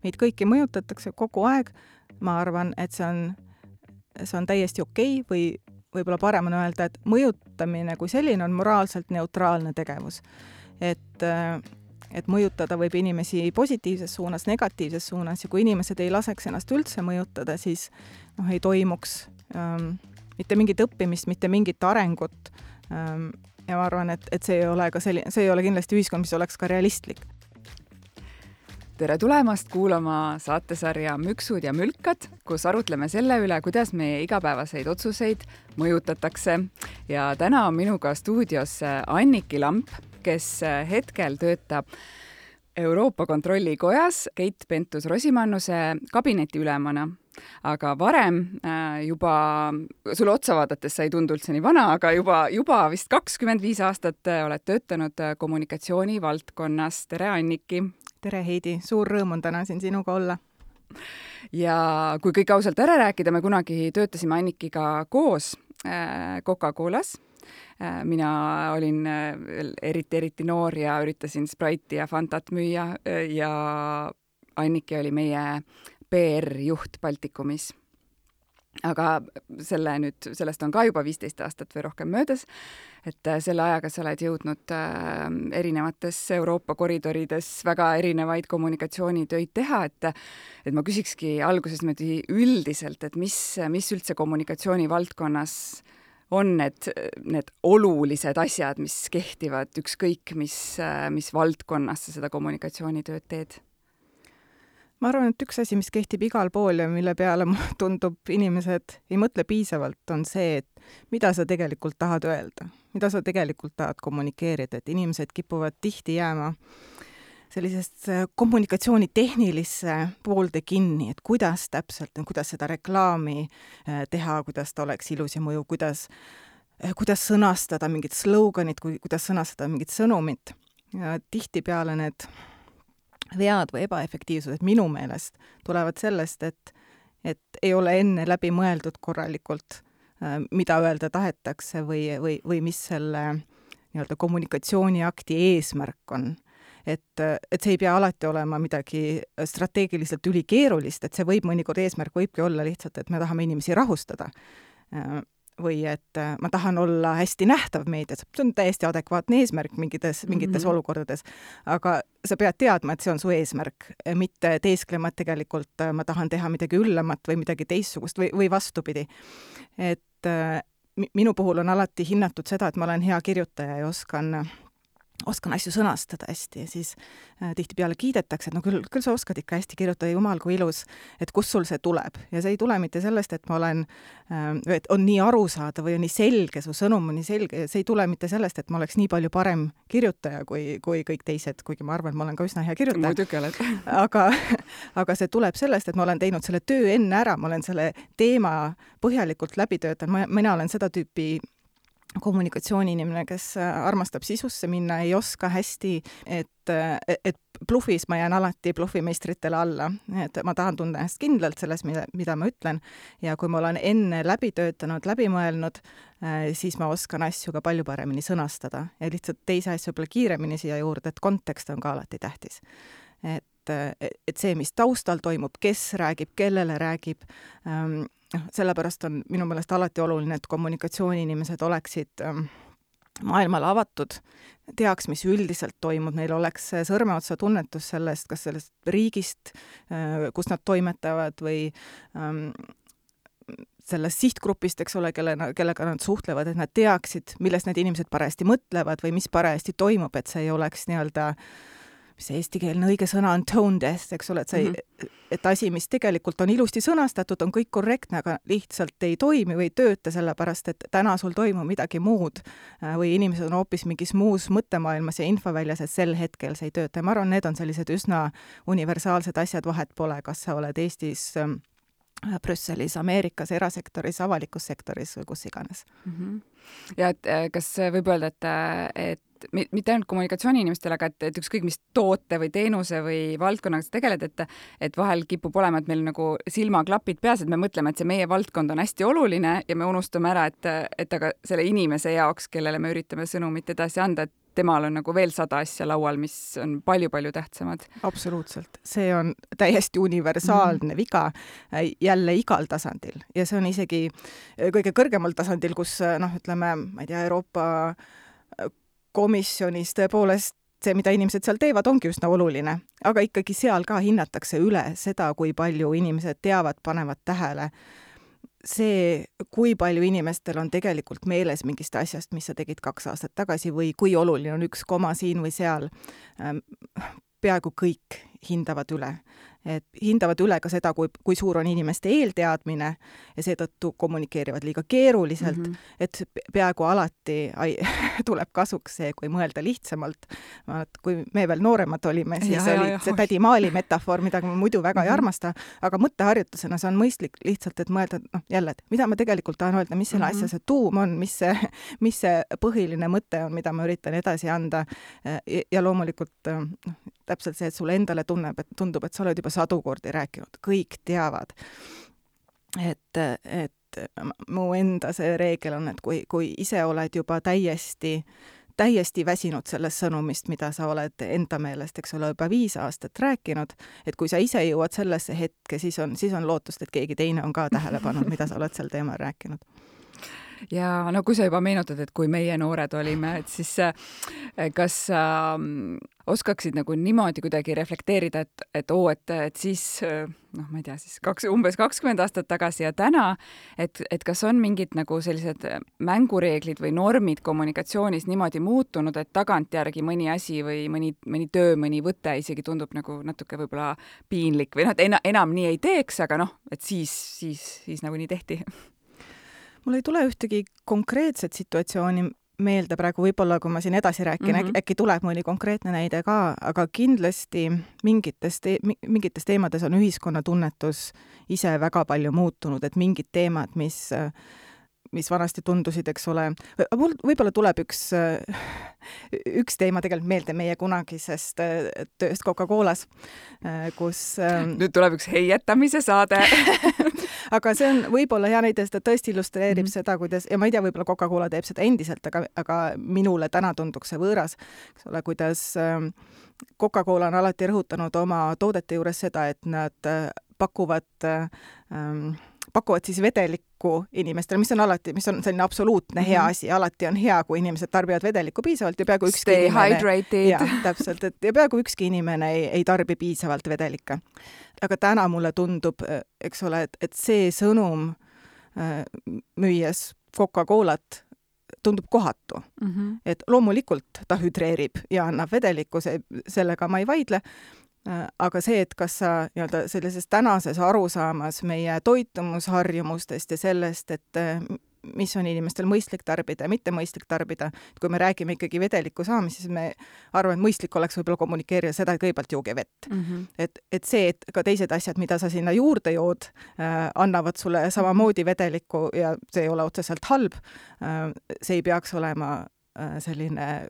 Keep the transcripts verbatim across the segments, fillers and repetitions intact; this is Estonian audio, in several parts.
meid kõiki mõjutatakse kogu aeg, ma arvan, et see on, see on täiesti okei või võib-olla parem on öelda, et mõjutamine kui selline on moraalselt neutraalne tegevus. Et, et mõjutada võib inimesi positiivses suunas, negatiivses suunas ja kui inimesed ei laseks ennast üldse mõjutada, siis noh, ei toimuks ähm, mitte mingit õppimist, mitte mingit arengut. Ähm, ja ma arvan, et, et see ei ole ka selline, see ei ole kindlasti ühiskond, mis oleks ka realistlik. Tere tulemast kuulama saatesarja Müksud ja mülkad, kus arutleme selle üle, kuidas meie igapäevaseid otsuseid mõjutatakse. Ja täna on minuga stuudios Anniki Lamp, kes hetkel töötab Euroopa Kontrollikojas Keit Pentus-Rosimannuse kabineti ülemana. Aga varem juba, sulle otsa vaadates sa ei tundu üldse nii vana, aga juba, juba vist kakskümmend viis aastat oled töötanud kommunikatsiooni valdkonnas. Tere, Anniki! Tere, Heidi! Suur rõõm on täna siin sinuga olla. Ja kui kõik ausalt ära rääkida, me kunagi töötasime Annikiga koos Coca-Colas. Mina olin eriti, eriti noor ja üritasin Sprite'i ja Fantat müüa ja Anniki oli meie P R-juht Baltikumis. Aga selle nüüd, sellest on ka juba viisteist aastat või rohkem möödas, et selle ajaga sa oled jõudnud erinevates Euroopa koridorides väga erinevaid kommunikatsioonitöid teha, et, et ma küsikski alguses üldiselt, et mis, mis üldse kommunikatsiooni valdkonnas on need, need olulised asjad, mis kehtivad ükskõik, mis, mis valdkonnas sa seda kommunikatsioonitööd teed? Ma arvan, et üks asi, mis kehtib igal pool ja mille peale tundub inimesed ei mõtle piisavalt, on see, et mida sa tegelikult tahad öelda, mida sa tegelikult tahad kommunikeerida, et inimesed kipuvad tihti jääma sellisest kommunikatsiooni tehnilisse poolde kinni, et kuidas täpselt, kuidas seda reklaami teha, kuidas ta oleks ilus ja mõju, kuidas, kuidas sõnastada mingit sloganit, kuidas sõnastada mingit sõnumit. Ja tihtipeale need vead või ebaefektiivsused minu meelest tulevad sellest, et, et ei ole enne läbi mõeldud korralikult, mida öelda tahetakse või, või, või mis selle nii-öelda kommunikatsiooniakti eesmärk on. Et, et see ei pea alati olema midagi strateegiliselt ülikeerulist, et see võib mõnikord eesmärk võibki olla lihtsalt, et me tahame inimesi rahustada. Või et ma tahan olla hästi nähtav meedias. See on täiesti adekvaatne eesmärk mingites, mingites mm-hmm. olukordades. Aga sa pead teadma, et see on su eesmärk, mitte teesklema, et tegelikult ma tahan teha midagi üllamat või midagi teistsugust või, või vastupidi. Et minu puhul on alati hinnatud seda, et ma olen hea kirjutaja ja oskan oskan asju sõnastada hästi ja siis äh, tihtipeale kiidetakse, et no küll, küll sa oskad ikka hästi kirjutada, jumal kui ilus, et kus sul see tuleb. Ja see ei tule mitte sellest, et ma olen, äh, et on nii arusaada või on nii selge, su sõnum on nii selge ja see ei tule mitte sellest, et ma oleks nii palju parem kirjutaja kui, kui kõik teised, kuigi ma arvan, et ma olen ka üsna hea kirjutaja. Muidugi oled. aga, aga see tuleb sellest, et ma olen teinud selle töö enne ära, ma olen selle teema põhjalikult läbi töötanud, mina olen seda tüüpi kommunikatsiooniinimene, kes armastab sisusse minna, ei oska hästi, et, et bluffis ma jään alati bluffimeistritele alla. Et ma tahan tunda ennast kindlalt selles, mida, mida ma ütlen ja kui ma olen enne läbi töötanud, läbi mõelnud, siis ma oskan asju ka palju paremini sõnastada ja lihtsalt teise asju võib-olla kiiremini siia juurde, et kontekst on ka alati tähtis. Et, et see, mis taustal toimub, kes räägib, kellele räägib, ähm, sellepärast on minu meelest alati oluline, et kommunikatsiooniinimesed oleksid maailmale avatud, teaks, mis üldiselt toimub, neil oleks sõrmeotsa tunnetus sellest, kas sellest riigist, kus nad toimetavad või sellest sihtgrupist, eks ole, kelle, kellega nad suhtlevad, et nad teaksid, millest need inimesed parajasti mõtlevad või mis parajasti toimub, et see ei oleks nii-öelda mis see eestikeelne õige sõna on tone death, eks ole, et, see, mm-hmm. et asi, mis tegelikult on ilusti sõnastatud, on kõik korrektne, aga lihtsalt ei toimi või ei tööta sellepärast, et täna sul toimub midagi muud või inimesed on hoopis mingis muus mõttemaailmas ja infoväljas, et sel hetkel see ei tööta. Ja ma arvan, need on sellised üsna universaalsed asjad, vahet pole, kas sa oled Eestis Brüsselis, Ameerikas, erasektoris, avalikus sektoris või kus iganes. Mm-hmm. Ja et, kas võib öelda, et, et mitte ainult kommunikatsiooniinimestele, aga et, et ükskõik mis toote või teenuse või valdkonnaga sa tegeled, et, et vahel kipub olema, et meil nagu silmaklapid peas, et me mõtleme, et see meie valdkond on hästi oluline ja me unustame ära, et, et aga selle inimese jaoks, kellele me üritame sõnumit edasi anda, et temal on nagu veel sada asja laual, mis on palju-palju tähtsamad. Absoluutselt. See on täiesti universaalne mm. viga jälle igal tasandil ja see on isegi kõige kõrgemal tasandil, kus noh, ütleme, ma ei tea, Euroopa komisjonis tõepoolest see, mida inimesed seal teevad, ongi üsna oluline, aga ikkagi seal ka hinnatakse üle seda, kui palju inimesed teavad, panevad tähele. See, kui palju inimestel on tegelikult meeles mingist asjast, mis sa tegid kaks aastat tagasi või kui oluline on üks koma siin või seal, peaaegu kõik hindavad üle. Et hindavad üle ka seda, kui, kui suur on inimeste eelteadmine ja seetõttu kommunikeerivad liiga keeruliselt, mm -hmm. et peaaegu alati ai, tuleb kasuks see, kui mõelda lihtsamalt. Kui me veel nooremad olime, siis ja, oli ja, see tädi Maali metafoor, mida ma muidu väga mm -hmm. ei armasta, aga mõtteharjutusena see on mõistlik lihtsalt, et mõelda, noh jälle, et mida ma tegelikult tahan öelda, mis selle mm -hmm. asja see tuum on, mis see, mis see põhiline mõte on, mida ma üritan edasi anda ja, ja loomulikult noh, täpselt see, et sulle endale tunneb, et tundub, et sa oled juba sadu kordi rääkinud, kõik teavad. Et, et mu enda see reegel on, et kui, kui ise oled juba täiesti, täiesti väsinud sellest sõnumist, mida sa oled enda meelest, eks ole, juba viis aastat rääkinud, et kui sa ise jõuad sellesse hetke, siis on, siis on lootust, et keegi teine on ka tähele pannud, mida sa oled sel teemal rääkinud. Ja no kui sa juba meenutad, et kui meie noored olime, et siis kas äh, oskaksid nagu niimoodi kuidagi reflekteerida, et, et oo, et, et siis, noh, ma ei tea, siis kaks, umbes kakskümmend aastat tagasi ja täna, et, et kas on mingid nagu sellised mängureeglid või normid kommunikatsioonis niimoodi muutunud, et tagantjärgi mõni asi või mõni, mõni töö, mõni võte isegi tundub nagu natuke võib-olla piinlik või noh, et ena, enam nii ei teeks, aga noh, et siis, siis, siis nagu nii tehti. Mul ei tule ühtegi konkreetset situatsiooni meelde praegu, võib-olla kui ma siin edasi rääkin, mm -hmm. äkki tuleb mõni konkreetne näide ka, aga kindlasti mingites, te mingites teemades on ühiskonna tunnetus ise väga palju muutunud, et mingid teemad, mis, mis vanasti tundusid, eks ole, mul võib-olla tuleb üks, üks teema tegelikult meelde meie kunagisest tööst Coca-Colas, kus nüüd tuleb üks heietamise saade aga see on võib-olla hea näide, seda tõesti illustreerib mm -hmm. seda, kuidas, ja ma ei tea, võib-olla Coca-Cola teeb seda endiselt, aga, aga minule täna tunduks see võõras, eks ole, kuidas Coca-Cola on alati rõhutanud oma toodete juures seda, et nad pakuvad ähm, pakuvad siis vedelikku inimestele, mis on alati, mis on selline absoluutne mm -hmm. hea asi, alati on hea, kui inimesed tarbivad vedelikku piisavalt ja peaaegu ükski Stay inimene, hydrated. Ja, täpselt, et ja peaaegu ükski inimene ei, ei tarbi piisavalt vedelikke. Aga täna mulle tundub, eks ole, et, et see sõnum äh, müües Coca-Colat tundub kohatu. Mm -hmm. Et loomulikult ta hüdreerib ja annab vedelikku, see, sellega ma ei vaidle, aga see, et kas sa nii-öelda sellises tänases arusaamas meie toitumusharjumustest ja sellest, et mis on inimestel mõistlik tarbida ja mitte mõistlik tarbida, et kui me räägime ikkagi vedeliku saamist, siis me arvame, et mõistlik oleks võib-olla kommunikeerida seda, et kõigepealt jooge vett. Mm -hmm. et, et see, et ka teised asjad, mida sa sinna juurde jood, äh, annavad sulle samamoodi vedelikku ja see ei ole otseselt halb, äh, see ei peaks olema äh, selline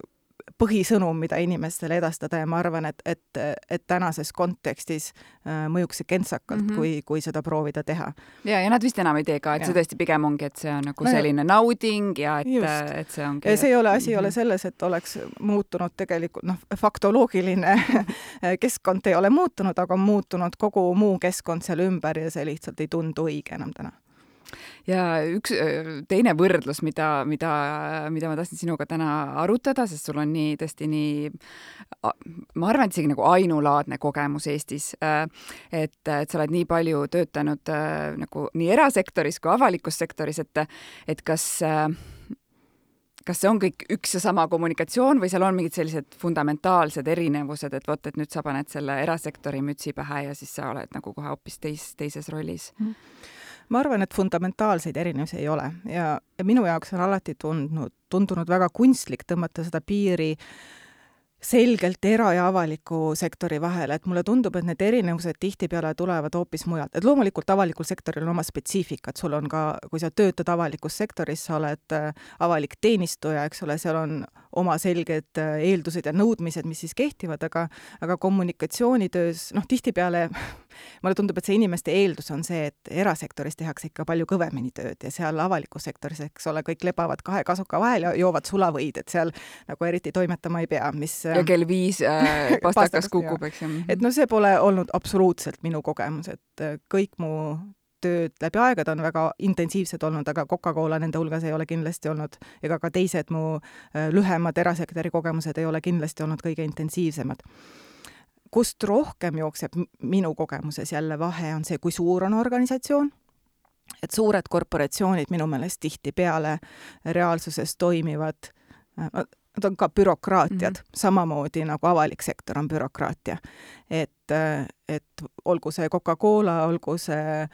põhisõnum, mida inimestele edastada ja ma arvan, et, et, et tänases kontekstis äh, mõjuks see kentsakalt, mm -hmm. kui, kui seda proovida teha. Ja, ja nad vist enam ei tee ka, et ja. see tõesti pigem ongi, et see on nagu selline nauding ja et, et see ongi... Ja see ei ole, asi ei mm -hmm. ole selles, et oleks muutunud tegelikult, noh, faktoloogiline keskkond ei ole muutunud, aga on muutunud kogu muu keskkond seal ümber ja see lihtsalt ei tundu õige enam täna. Ja üks teine võrdlus, mida, mida, mida ma tahtsin sinuga täna arutada, sest sul on nii tõesti nii, ma arvan, et isegi nagu ainulaadne kogemus Eestis, et, et sa oled nii palju töötanud nagu nii erasektoris kui avalikus sektoris, et, et kas kas see on kõik üks ja sama kommunikatsioon või seal on mingid sellised fundamentaalsed erinevused, et vot, et nüüd sa paned selle erasektori mütsi pähe ja siis sa oled nagu kohe hoopis teis, teises rollis? Mm. Ma arvan, et fundamentaalseid erinevusi ei ole ja, ja minu jaoks on alati tundnud, tundunud väga kunstlik tõmmata seda piiri selgelt era- ja avaliku sektori vahele, et mulle tundub, et need erinevused tihtipeale tulevad hoopis mujalt. Et loomulikult avalikul sektoril on oma spetsiifikat, sul on ka, kui sa töötad avalikus sektoris, sa oled avalik teenistuja, eks ole, seal on oma selged eeldused ja nõudmised, mis siis kehtivad, aga, aga kommunikatsioonitöös, noh, tihtipeale mulle tundub, et see inimeste eeldus on see, et erasektoris tehakse ikka palju kõvemini tööd ja seal avalikus sektoris, eks ole, kõik lebavad kahe kasuka vahel ja joovad sulavõid, et seal nagu eriti toimetama ei pea, mis ja kell viis äh, pastakas kukub, eks ju. Et no see pole olnud absoluutselt minu kogemus, et kõik mu tööd läbi aegade on väga intensiivsed olnud, aga Coca-Cola nende hulgas ei ole kindlasti olnud, ega ka teised mu lühemad erasektori kogemused ei ole kindlasti olnud kõige intensiivsemad. Kust rohkem jookseb minu kogemuses jälle vahe on see, kui suur on organisatsioon, et suured korporatsioonid minu meelest tihtipeale reaalsuses toimivad, nad on ka bürokraatiad, mm-hmm. samamoodi nagu avalik sektor on bürokraatia. Et, et olgu see Coca-Cola, olgu see,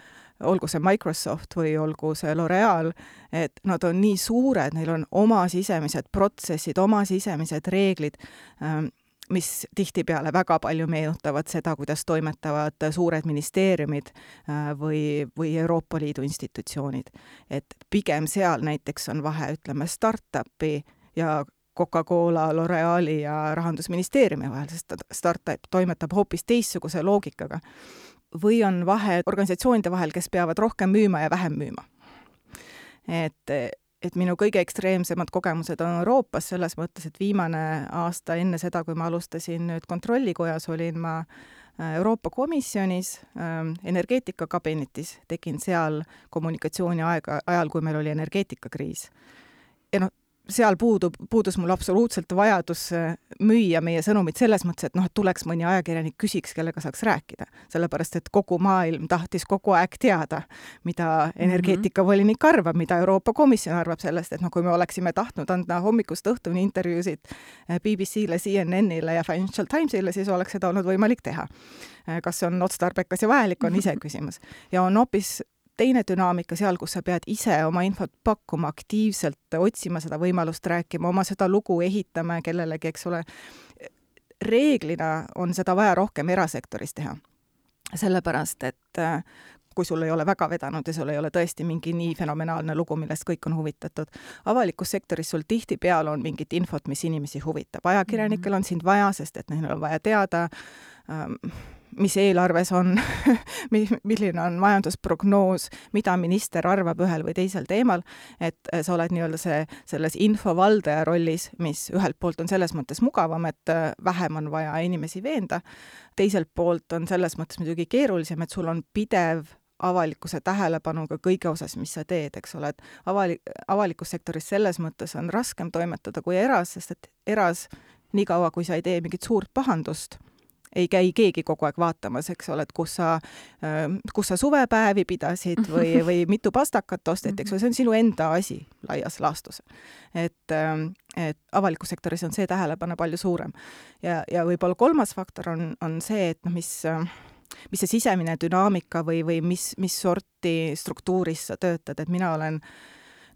olgu see Microsoft või olgu see L'Oreal, et nad on nii suured, neil on oma sisemised protsessid, oma sisemised reeglid, mis tihtipeale väga palju meenutavad seda, kuidas toimetavad suured ministeeriumid või, või Euroopa Liidu institutsioonid. Et pigem seal näiteks on vahe, ütleme, startupi ja Coca-Cola, L'Oreali ja Rahandusministeeriumi vahel, sest startup toimetab hoopis teistsuguse loogikaga. Või on vahe organisatsioonide vahel, kes peavad rohkem müüma ja vähem müüma. Et, et minu kõige ekstreemsemad kogemused on Euroopas selles mõttes, et viimane aasta enne seda, kui ma alustasin nüüd kontrollikojas, olin ma Euroopa Komisjonis äh, energeetikakabinetis, tegin seal kommunikatsiooni aega, ajal, kui meil oli energeetikakriis. Ja noh, seal puudub, puudus mul absoluutselt vajadus müüa meie sõnumid selles mõttes, et noh, et tuleks mõni ajakirjanik küsiks, kellega saaks rääkida. Sellepärast, et kogu maailm tahtis kogu aeg teada, mida energeetikavolinik arvab, mida Euroopa Komisjon arvab sellest, et noh, kui me oleksime tahtnud anda hommikust õhtuni intervjuusid B B C-le, C N N-ile ja Financial Timesile, siis oleks seda olnud võimalik teha. Kas see on otstarbekas ja vajalik, on ise küsimus. Ja on hoopis teine dünaamika seal, kus sa pead ise oma infot pakkuma, aktiivselt otsima seda võimalust rääkima, oma seda lugu ehitama kellelegi, eks ole. Reeglina on seda vaja rohkem erasektoris teha. Sellepärast, et kui sul ei ole väga vedanud ja sul ei ole tõesti mingi nii fenomenaalne lugu, millest kõik on huvitatud. Avalikus sektoris sul tihti peal on mingit infot, mis inimesi huvitab. Ajakirjanikel on sind vaja, sest et neil on vaja teada, mis eelarves on, milline on majandusprognoos, mida minister arvab ühel või teisel teemal, et sa oled nii-öelda see, selles infovaldaja rollis, mis ühelt poolt on selles mõttes mugavam, et vähem on vaja inimesi veenda. Teiselt poolt on selles mõttes muidugi keerulisem, et sul on pidev avalikkuse tähelepanuga kõige osas, mis sa teed, eks ole, et avalik, avalikus sektoris selles mõttes on raskem toimetada kui eras, sest et eras nii kaua, kui sa ei tee mingit suurt pahandust, ei käi keegi kogu aeg vaatamas, eks ole, et kus sa, kus sa suvepäevi pidasid või, või mitu pastakat osteti, eks ole, see on sinu enda asi laias laastus. Et, et avalikus sektoris on see tähelepanu palju suurem. Ja, ja võib-olla kolmas faktor on, on see, et no, mis, mis see sisemine dünaamika või, või mis, mis sorti struktuuris sa töötad, et mina olen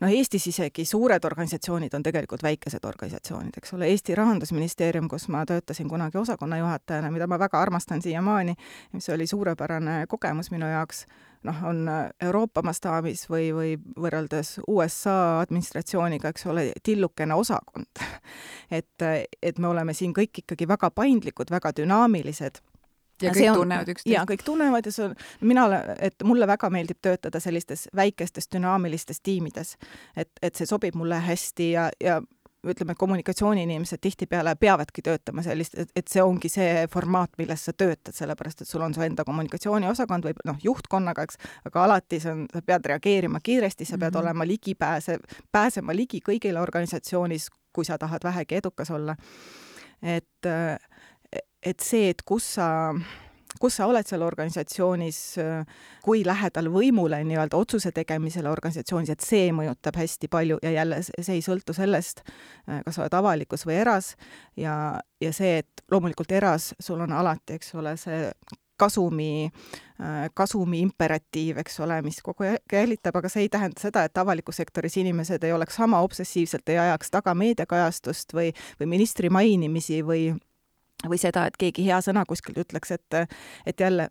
no Eestis isegi suured organisatsioonid on tegelikult väikesed organisatsioonid, eks ole, Eesti Rahandusministeerium, kus ma töötasin kunagi osakonna juhatajana, mida ma väga armastan siiamaani, mis oli suurepärane kogemus minu jaoks, noh, on Euroopa mastaabis või, või võrreldes U S A administratsiooniga, eks ole, tillukene osakond. Et, et me oleme siin kõik ikkagi väga paindlikud, väga dünaamilised. Ja kõik on, tunnevad üksteist. Ja kõik tunnevad ja see on, mina olen, et mulle väga meeldib töötada sellistes väikestes dünaamilistes tiimides, et, et see sobib mulle hästi ja, ja ütleme, kommunikatsiooni-inimesed tihtipeale peavadki töötama sellist, et, et see ongi see formaat, milles sa töötad, sellepärast, et sul on su enda kommunikatsiooniosakond või noh, juhtkonnaga, eks, aga alati sa, on, sa pead reageerima kiiresti, sa pead mm-hmm. olema ligipääse, pääsema ligi kõigile organisatsioonis, kui sa tahad vähegi edukas olla. Et et see, et kus sa, kus sa oled seal organisatsioonis, kui lähedal võimule nii-öelda otsuse tegemisele organisatsioonis, et see mõjutab hästi palju ja jälle see ei sõltu sellest, kas sa oled avalikus või eras ja, ja see, et loomulikult eras sul on alati, eks ole, see kasumi, kasumi imperatiiv, eks ole, mis kogu aeg jälitab, aga see ei tähenda seda, et avalikus sektoris inimesed ei oleks sama obsessiivselt, ei ajaks taga meediakajastust või, või ministri mainimisi või või seda, et keegi hea sõna kuskilt ütleks, et, et jälle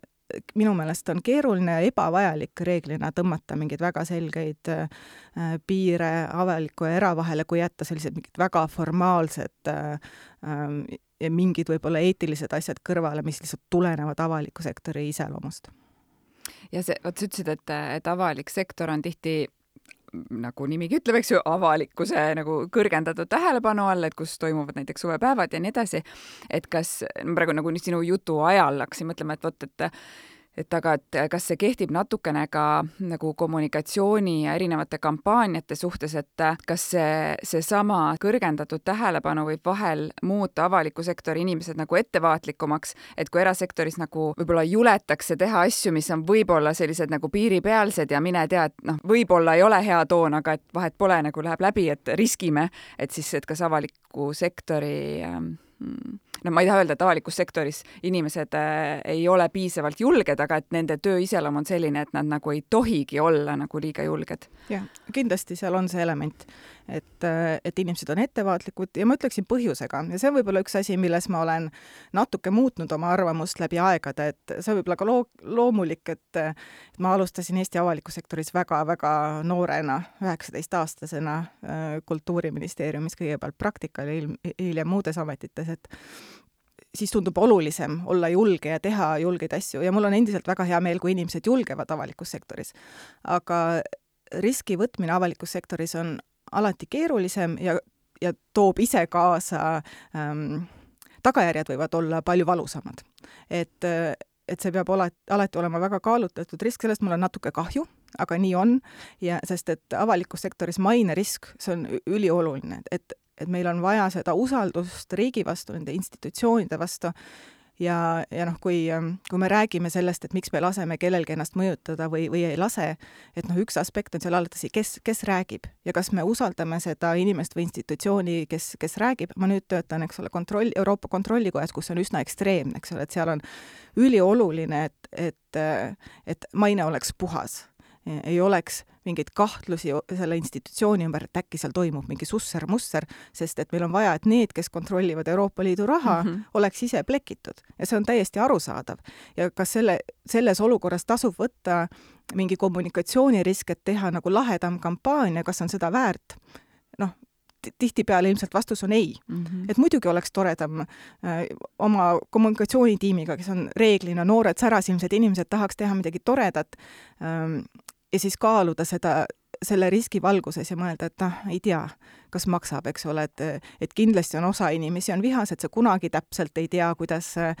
minu meelest on keeruline ja ebavajalik reeglina tõmmata mingeid väga selgeid äh, piire avaliku ja eravahele, kui jätta sellised mingid väga formaalsed äh, ja mingid võib-olla eetilised asjad kõrvale, mis lihtsalt tulenevad avaliku sektori iseloomust. Ja see, oot, sa ütlesid, et, et avalik sektor on tihti, nagu nimigi ütleb, eks ju, avalikkuse nagu kõrgendatud tähelepanu all, et kus toimuvad näiteks suvepäevad ja nii edasi. Et kas, praegu nagu sinu jutu ajal hakkasin mõtlema, et vot, et et aga, et kas see kehtib natukene ka nagu kommunikatsiooni ja erinevate kampaaniate suhtes, et kas see, see sama kõrgendatud tähelepanu võib vahel muuta avaliku sektori inimesed nagu ettevaatlikumaks, et kui erasektoris nagu võib-olla juletakse teha asju, mis on võib-olla sellised nagu piiripealsed ja mine tea, et noh, võib-olla ei ole hea toon, aga et vahet pole, nagu läheb läbi, et riskime, et siis, et kas avaliku sektori no ma ei taha öelda, et avalikus sektoris inimesed äh, ei ole piisavalt julged, aga et nende töö iseloom on selline, et nad nagu ei tohigi olla nagu liiga julged. Jah, kindlasti seal on see element, et, et inimesed on ettevaatlikud ja ma ütleksin põhjusega. Ja see on võib-olla üks asi, milles ma olen natuke muutnud oma arvamust läbi aegade, et see on võib-olla ka loo, loomulik, et, et ma alustasin Eesti avalikus sektoris väga-väga noorena, üheksateist-aastasena Kultuuriministeeriumis kõigepealt praktikal ja hiljem muudes ametites, et siis tundub olulisem olla julge ja teha julgeid asju ja mul on endiselt väga hea meel, kui inimesed julgevad avalikus sektoris. Aga riski võtmine avalikus sektoris on alati keerulisem ja, ja toob ise kaasa, ähm, tagajärjed võivad olla palju valusamad. Et, et see peab alati, alati olema väga kaalutletud risk, sellest mul on natuke kahju, aga nii on, ja sest et avalikus sektoris maine risk, see on ülioluline, et et meil on vaja seda usaldust riigi vastu, nende institutsioonide vastu ja, ja noh, kui, kui me räägime sellest, et miks me laseme kellelgi ennast mõjutada või, või ei lase, et noh, üks aspekt on seal alati, kes, kes räägib ja kas me usaldame seda inimest või institutsiooni, kes, kes räägib. Ma nüüd töötan, eks ole, kontroll, Euroopa Kontrollikojas, kus on üsna ekstreemne, eks ole, et seal on ülioluline, et, et, et maine oleks puhas. Ei oleks mingeid kahtlusi selle institutsiooni ümber, et äkki seal toimub mingi susser-musser, sest et meil on vaja, et need, kes kontrollivad Euroopa Liidu raha, mm -hmm. oleks ise plekitud. Ja see on täiesti arusaadav. Ja kas selle, selles olukorras tasub võtta mingi kommunikatsioonirisk, et teha nagu lahedam kampaania, kas on seda väärt? Noh, tihtipeale ilmselt vastus on ei. Mm -hmm. Et muidugi oleks toredam äh, oma kommunikatsioonitiimiga, kes on reeglina noored särasilmsed inimesed, tahaks teha midagi toredat ähm, ja siis kaaluda seda, selle riski valguses ja mõelda, et noh, ei tea, kas maksab, eks ole, et, et kindlasti on osa inimesi on vihas, et sa kunagi täpselt ei tea, kuidas, äh,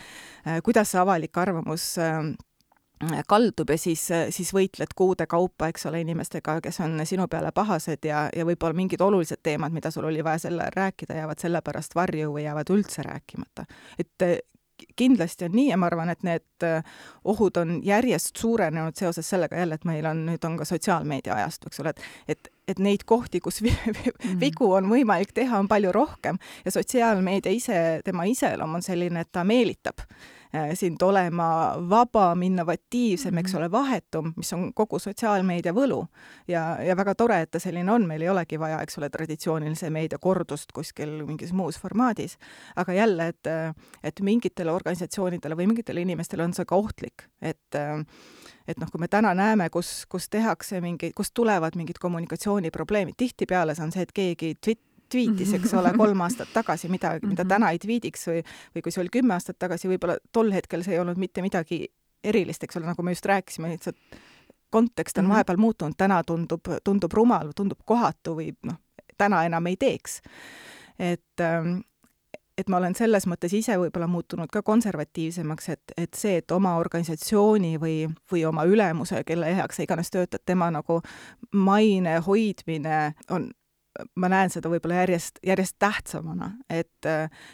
kuidas see avalik arvamus äh, kaldub ja siis, siis võitled kuude kaupa, eks ole, inimestega, kes on sinu peale pahased ja, ja võib-olla mingid olulised teemad, mida sul oli vaja selle rääkida, jäävad selle pärast varju või jäävad üldse rääkimata. Et kindlasti on nii ja ma arvan, et need ohud on järjest suurenenud seoses sellega jälle, et meil on, nüüd on ka sotsiaalmeedia ajastu, eks ole, et, et, et neid kohti, kus vigu on võimalik teha, on palju rohkem ja sotsiaalmeedia ise, tema iseloom on selline, et ta meelitab sind olema vabam, innovatiivsem, eks ole, vahetum, mis on kogu sotsiaalmeedia võlu. Ja, ja väga tore, et ta selline on, meil ei olegi vaja, eks ole, traditsioonilise meedia kordust kuskil mingis muus formaadis. Aga jälle, et, et mingitele organisatsioonidele või mingitele inimestele on see ka ohtlik. Et, et noh, kui me täna näeme, kus, kus tehakse mingi, kus tulevad mingid kommunikatsiooniprobleemid, tihtipeale see on see, et keegi twit- twiitis, eks ole, kolm aastat tagasi midagi, mida täna ei twiidiks või, või kui see oli kümme aastat tagasi, võib-olla tol hetkel see ei olnud mitte midagi erilist, eks ole, nagu me just rääkisime, lihtsalt kontekst on vahepeal muutunud, täna tundub, tundub rumal, tundub kohatu või noh, täna enam ei teeks. Et, et ma olen selles mõttes ise võib-olla muutunud ka konservatiivsemaks, et, et see, et oma organisatsiooni või, või oma ülemuse, kelle heaks sa iganes töötad, tema nagu maine hoidmine on ma näen seda võib-olla järjest, järjest tähtsamana, et,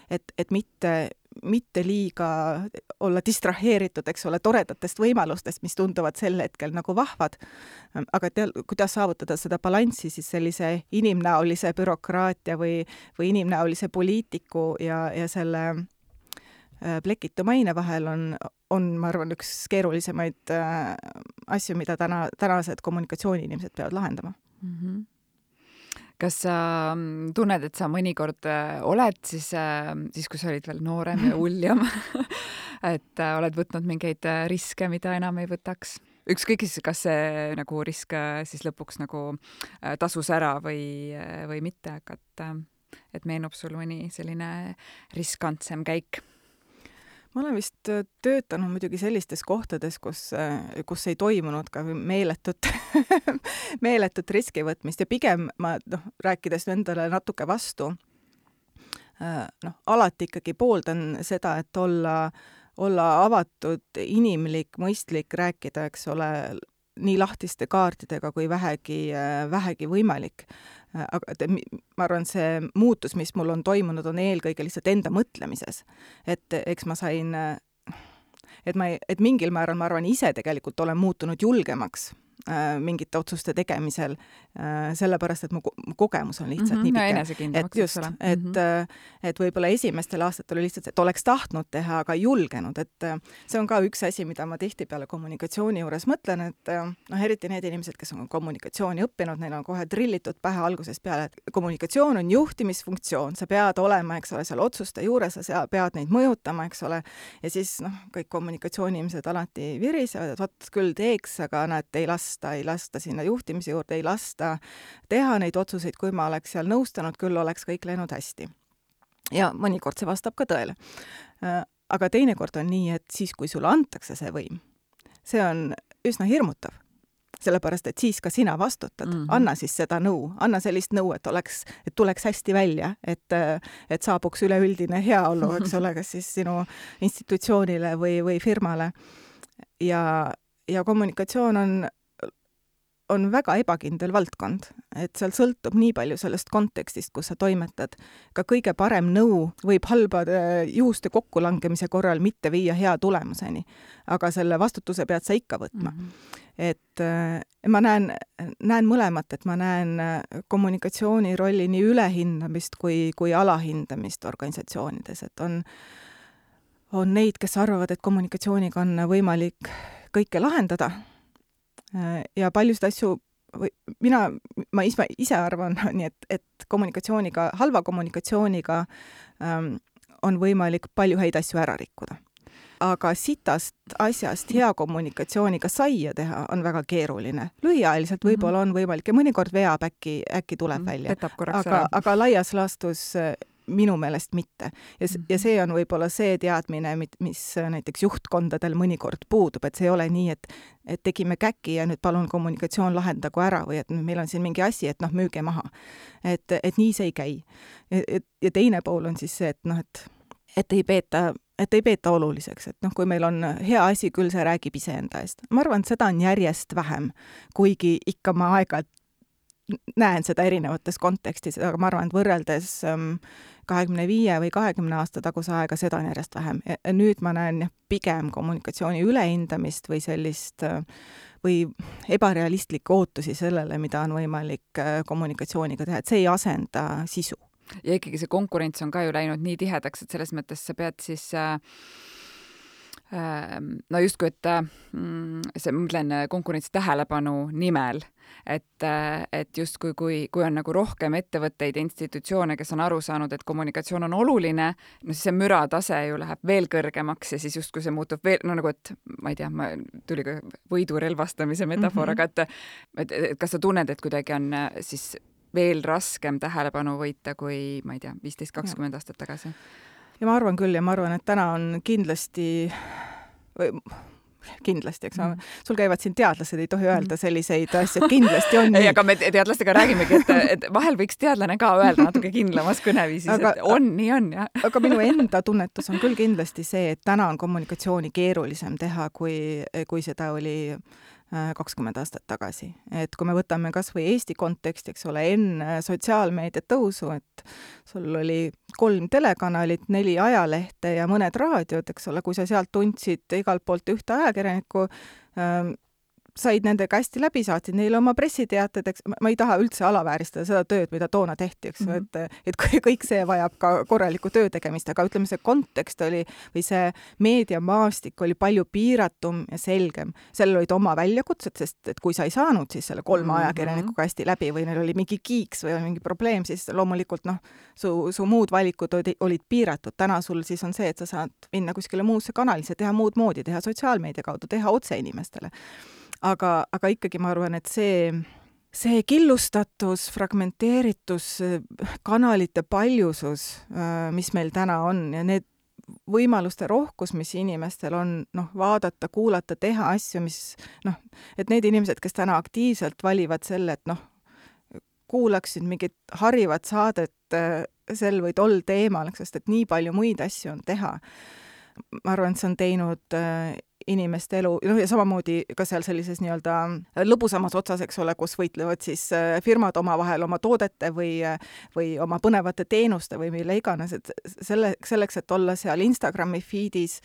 et, et mitte, mitte liiga olla distraheeritud, eks ole, toredatest võimalustest, mis tunduvad sel hetkel nagu vahvad, aga tea, kuidas saavutada seda balanssi siis sellise inimnäolise bürokraatia või, või inimnäolise poliitiku ja, ja selle plekitu maine vahel on, on, ma arvan, üks keerulisemaid äh, asju, mida täna, tänased kommunikatsiooniinimesed peavad lahendama. Mm-hmm. Kas sa tunned, et sa mõnikord oled siis, siis kui sa olid veel noorem ja uljam, et oled võtnud mingeid riske, mida enam ei võtaks? Ükskõik siis, kas see nagu risk siis lõpuks nagu tasus ära või, või mitte, aga et et meenub sul mõni selline riskantsem käik? Ma olen vist töötanud muidugi sellistes kohtades, kus, kus ei toimunud ka meeletut, meeletut riski võtmist ja pigem ma, noh, rääkides endale natuke vastu, noh, alati ikkagi pooldan seda, et olla, olla avatud, inimlik, mõistlik, rääkida, eks ole, nii lahtiste kaartidega kui vähegi, vähegi võimalik. Aga te, ma arvan, see muutus, mis mul on toimunud, on eelkõige lihtsalt enda mõtlemises. Et eks ma sain, et, ma, et mingil määral, ma arvan, ise tegelikult olen muutunud julgemaks äh, mingite otsuste tegemisel, äh, sellepärast, et mu, mu kogemus on lihtsalt mm-hmm, nii no, pike. Et just, et, mm-hmm. et võib-olla esimestel aastatel oli lihtsalt, et oleks tahtnud teha, aga ei julgenud. Et see on ka üks asi, mida ma tihtipeale kommunikatsiooni juures mõtlen, et noh, eriti need inimesed, kes on kommunikatsiooni õppinud, neil on kohe trillitud pähe algusest peale, et kommunikatsioon on juhtimisfunktsioon, sa pead olema, eks ole, seal otsuste juures, sa pead neid mõjutama, eks ole, ja siis noh, kõik kommunikatsiooni inimesed alati virisevad, et vot küll teeks, aga nad ei lasta, ei lasta sinna juhtimise juurde, ei lasta teha neid otsuseid, kui ma oleks seal nõustanud, küll oleks kõik läinud hästi. Ja mõnikord see vastab ka tõele. Aga teinekord on nii, et siis, kui sulle antakse see võim, see on üsna hirmutav. Sellepärast, et siis ka sina vastutad. Mm-hmm. Anna siis seda nõu. Anna sellist nõu, et, oleks, et tuleks hästi välja, et, et saabuks üleüldine heaolu, eks ole, kas siis sinu institutsioonile või, või firmale. Ja, ja kommunikatsioon on on väga ebakindel valdkond, et seal sõltub nii palju sellest kontekstist, kus sa toimetad. Ka kõige parem nõu võib halbade juhuste kokkulangemise korral mitte viia hea tulemuseni, aga selle vastutuse pead sa ikka võtma. Mm-hmm. Et ma näen, näen mõlemat, et ma näen kommunikatsiooni rolli nii ülehindamist kui, kui alahindamist organisatsioonides, et on, on neid, kes arvavad, et kommunikatsiooniga on võimalik kõike lahendada, ja paljusid asju, või mina, ma ise, ise arvan, nii et, et kommunikatsiooniga, halva kommunikatsiooniga ähm, on võimalik palju häid asju ära rikkuda. Aga sitast asjast hea kommunikatsiooniga saia teha on väga keeruline. Lühiajaliselt võib-olla on võimalik ja mõnikord veab äkki, äkki tuleb välja. Aga, aga laias laastus minu meelest mitte. Ja, ja see on võib-olla see teadmine, mis näiteks juhtkondadel mõnikord puudub, et see ei ole nii, et, et tegime käki ja nüüd palun kommunikatsioon lahendagu ära või et meil on siin mingi asi, et noh, müüge maha. Et, et nii see ei käi. Ja, ja teine pool on siis see, et noh, et, et ei peeta et ei peeta oluliseks, et noh, kui meil on hea asi, küll see räägib iseenda eest. Ma arvan, et seda on järjest vähem, kuigi ikka ma aeg-ajalt näen seda erinevates kontekstis, aga ma arvan, et võrreldes kahekümne viie või kahekümne aasta taguse aega seda on järjest vähem. Ja nüüd ma näen pigem kommunikatsiooni ülehindamist või sellist või ebarealistlikke ootusi sellele, mida on võimalik kommunikatsiooniga teha, et see ei asenda sisu. Ja ikkagi see konkurents on ka ju läinud nii tihedaks, et selles mõttes sa pead siis äh, no justkui, et see, ma mõtlen konkurentsi tähelepanu nimel, et, et justkui kui, kui on nagu rohkem ettevõtteid ja institutsioone, kes on aru saanud, et kommunikatsioon on oluline, no siis see müratase ju läheb veel kõrgemaks ja siis justkui see muutub veel, no nagu, et ma ei tea, ma tuli ka võidu relvastamise metafoor, mm-hmm. aga et, et, et kas sa tunned, et kuidagi on siis veel raskem tähelepanu võita kui, ma ei tea, viisteist kakskümmend aastat tagasi? Ja ma arvan küll ja ma arvan, et täna on kindlasti, või kindlasti, eks mm. sul käivad siin teadlased, ei tohi öelda selliseid asju, et kindlasti on nii. Ei, aga me teadlastega räägimegi, et, et vahel võiks teadlane ka öelda natuke kindlamas kõneviisis, aga, et on, nii on. Ja. Aga minu enda tunnetus on küll kindlasti see, et täna on kommunikatsiooni keerulisem teha, kui, kui seda oli kakskümmend aastat tagasi. Et kui me võtame kas või Eesti konteksti, eks ole, enne sotsiaalmeedia tõusu, et sul oli kolm telekanalit, neli ajalehte ja mõned raadiod, eks ole, kui sa sealt tundsid igalt poolt ühte ajakirjanikku, ähm, said nendega hästi läbi, saatsid neile oma pressiteated, eks ma ei taha üldse alavääristada seda tööd, mida toona tehti, eks mm-hmm. et, et kõik see vajab ka korralikku töö tegemist, aga ütleme, see kontekst oli või see meediamaastik oli palju piiratum ja selgem. Sellel olid oma väljakutsed, sest et kui sa ei saanud siis selle kolme mm-hmm. ajakirjanikuga hästi läbi või neil oli mingi kiiks või mingi probleem, siis loomulikult noh, su, su muud valikud olid, olid piiratud. Täna sul siis on see, et sa saad minna kuskile muusse kanalisse, teha muud moodi, teha sotsiaalmeedia kaudu, teha otse inimestele. Aga, aga ikkagi ma arvan, et see, see killustatus, fragmenteeritus, kanalite paljusus, mis meil täna on ja need võimaluste rohkus, mis inimestel on, noh, vaadata, kuulata, teha asju, mis, noh, et need inimesed, kes täna aktiivselt valivad selle, et noh, kuulaksid mingit harivat saadet sel või tol teemal, sest et nii palju muid asju on teha. Ma arvan, et see on teinud inimeste elu, noh ja samamoodi ka seal sellises nii-öelda lõbusamas otsas, eks ole, kus võitlevad siis firmad omavahel oma toodete või, või oma põnevate teenuste või mille iganes, et selle, selleks, et olla seal Instagrami feedis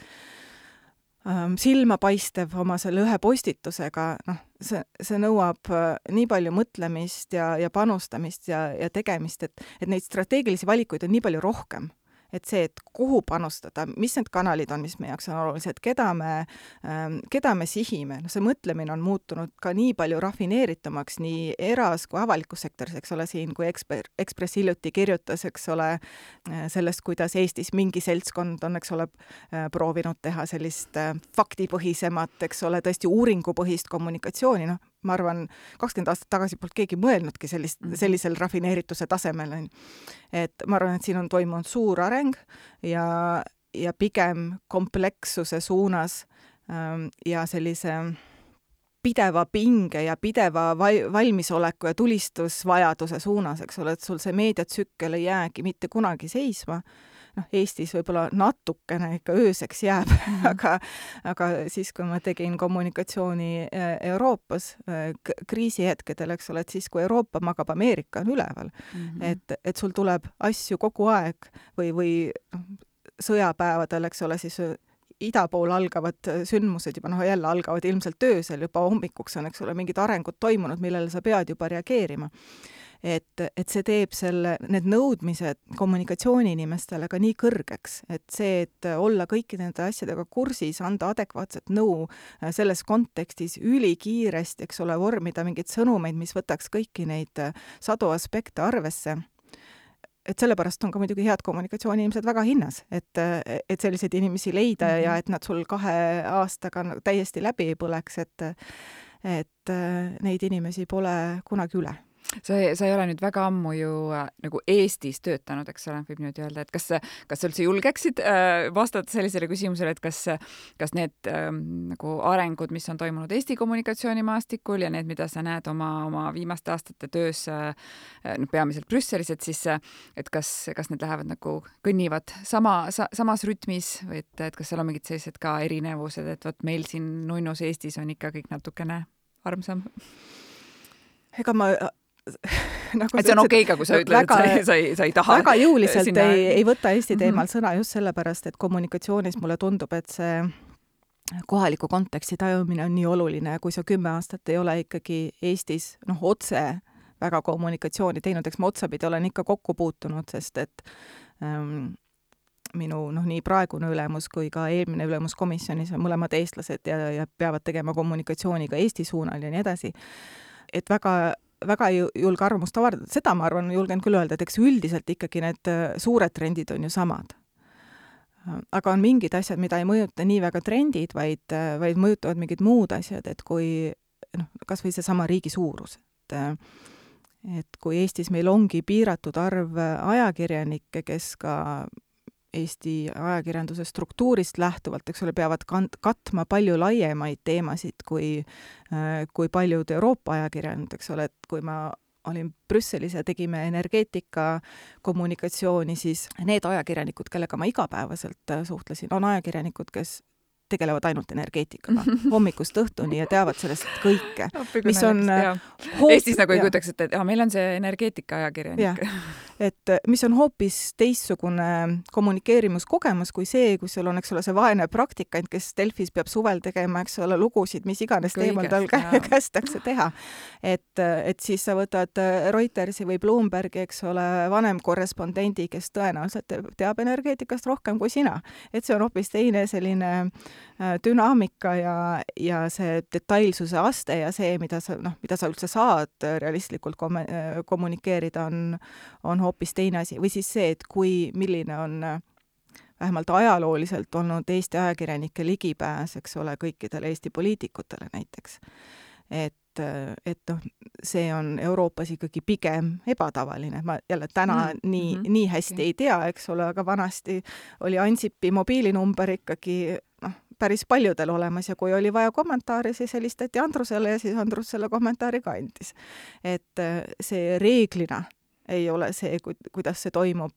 ähm, silmapaistev oma selle ühe postitusega, noh, see, see nõuab nii palju mõtlemist ja, ja panustamist ja, ja tegemist, et, et neid strateegilisi valikuid on nii palju rohkem. Et see, et kuhu panustada, mis need kanalid on, mis meie jaoks on olulised, keda me, keda me sihime. No see mõtlemine on muutunud ka nii palju rafineeritumaks nii eras kui avalikus sektoris, eks ole, siin kui Eksper, Ekspress hiljuti kirjutas, eks ole, sellest, kuidas Eestis mingi seltskond on, eks ole, proovinud teha sellist faktipõhisemat, eks ole, tõesti uuringupõhist kommunikatsiooni, noh, ma arvan, kakskümmend aastat tagasi polnud keegi mõelnudki sellist, sellisel rafineerituse tasemel. Et ma arvan, et siin on toimunud suur areng ja, ja pigem komplekssuse suunas ähm, ja sellise pideva pinge ja pideva val- valmisoleku ja tulistusvajaduse suunas, eks ole, et sul see meediatsükkel ei jäägi mitte kunagi seisma. Noh, Eestis võib-olla natukene ikka ööseks jääb, mm-hmm. aga, aga siis, kui ma tegin kommunikatsiooni Euroopas k- kriisihetkedel, eks ole, et siis, kui Euroopa magab, Ameerika on üleval, mm-hmm. et, et sul tuleb asju kogu aeg või, või sõjapäevadel, eks ole, siis ida pool algavad sündmused juba, noh, jälle algavad ilmselt öösel, juba hommikuks on, eks ole, mingid arengud toimunud, millele sa pead juba reageerima. Et, et see teeb selle, need nõudmised kommunikatsiooniinimestele ka nii kõrgeks, et see, et olla kõikide nende asjadega kursis, anda adekvaatset nõu selles kontekstis ülikiiresti, eks ole, vormida mingeid sõnumeid, mis võtaks kõiki neid sadu aspekte arvesse. Et sellepärast on ka muidugi head kommunikatsiooniinimesed väga hinnas, et, et selliseid inimesi leida mm-hmm. ja et nad sul kahe aastaga täiesti läbi ei põleks, et, et neid inimesi pole kunagi üle. Sa, sa ei ole nüüd väga ammu ju äh, nagu Eestis töötanud, eks ole, võib nüüd öelda, et kas, kas sa üldse julgeksid äh, vastata sellisele küsimusele, et kas, kas need äh, nagu arengud, mis on toimunud Eesti kommunikatsioonimaastikul ja need, mida sa näed oma, oma viimaste aastate töös äh, no, peamiselt Brüsselis, et siis, et kas, kas need lähevad nagu kõnnivad sama, sa, samas rütmis või et, et kas seal on mingid sellised ka erinevused, et vot meil siin nunnus Eestis on ikka kõik natukene armsam? Ega ma nagu et see on okei ka, kui sa ütled, väga, et sa ei, sa ei taha. Väga jõuliselt sinna... ei, ei võta Eesti teemal mm-hmm. sõna just sellepärast, et kommunikatsioonis mulle tundub, et see kohaliku konteksti tajumine on nii oluline, kui sa kümme aastat ei ole ikkagi Eestis noh, otse väga kommunikatsiooni teinud, eks ma otsapidi olen ikka kokku puutunud, sest et ähm, minu noh, nii praegune ülemus kui ka eelmine ülemus komisjonis on mõlemad eestlased ja, ja peavad tegema kommunikatsiooni ka Eesti suunal ja nii edasi. Et väga väga julge arvamust avardada, seda ma arvan, julgen küll öelda, et eks üldiselt ikkagi need suured trendid on ju samad. Aga on mingid asjad, mida ei mõjuta nii väga trendid, vaid, vaid mõjutavad mingid muud asjad, et kui noh, kas või see sama riigi suurus. Et, et kui Eestis meil ongi piiratud arv ajakirjanikke, kes ka Eesti ajakirjanduse struktuurist lähtuvalt, eks ole, peavad kant- katma palju laiemaid teemasid kui, kui paljud Euroopa ajakirjanikud, eks ole, et kui ma olin Brüsselis ja tegime energeetika kommunikatsiooni, siis need ajakirjanikud, kellega ma igapäevaselt suhtlesin, on ajakirjanikud, kes tegelevad ainult energeetikaga hommikust õhtuni ja teavad sellest kõike. Mis on hoop... Eestis nagu ei kujutaks, et, et ah, meil on see energeetika ajakirjanik. Et mis on hoopis teissugune kommunikeerimuskogemus kui see, kui sul on, eks ole, see vaene praktikant, kes Delfis peab suvel tegema, eks ole, lugusid, mis iganes teemal tal kä- kästakse teha. Et, et siis sa võtad Reutersi või Bloombergi, eks ole, vanem korrespondendi, kes tõenäoliselt teab energeetikast rohkem kui sina. Et see on hoopis teine selline dünaamika ja, ja see detailsuse aste ja see, mida sa, noh, mida sa üldse saad realistlikult kom- kommunikeerida, on, on hoopis teine asi. Või siis see, et kui, milline on vähemalt ajalooliselt olnud Eesti ajakirjanike ligipääs, eks ole, kõikidele Eesti poliitikutele näiteks. Et et noh, see on Euroopas ikkagi pigem ebatavaline. Ma jälle täna mm, nii, mm-hmm. nii hästi okay. ei tea, eks ole, aga vanasti oli Ansipi mobiilinumber ikkagi noh, päris paljudel olemas ja kui oli vaja kommentaari, siis helistati Andrusele ja siis Andrus selle kommentaari ka andis. Et see reeglina ei ole see, kuidas see toimub,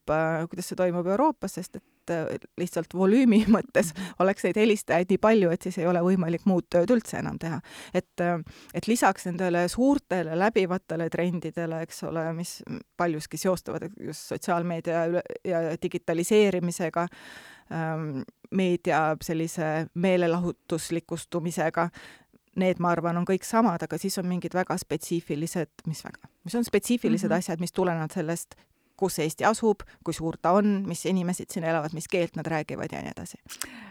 kuidas see toimub Euroopas, sest et lihtsalt volüümi mõttes oleks neid helistajaid nii palju, et siis ei ole võimalik muud tööd üldse enam teha. Et, et lisaks nendele suurtele läbivatele trendidele, eks ole, mis paljuski seostuvad just sotsiaalmeedia ja digitaliseerimisega, meedia sellise meelelahutuslikustumisega, need, ma arvan, on kõik samad, aga siis on mingid väga spetsiifilised, mis väga, mis on spetsiifilised mm-hmm. asjad, mis tulenevad sellest, kus Eesti asub, kui suur ta on, mis inimesed siin elavad, mis keelt nad räägivad ja nii edasi.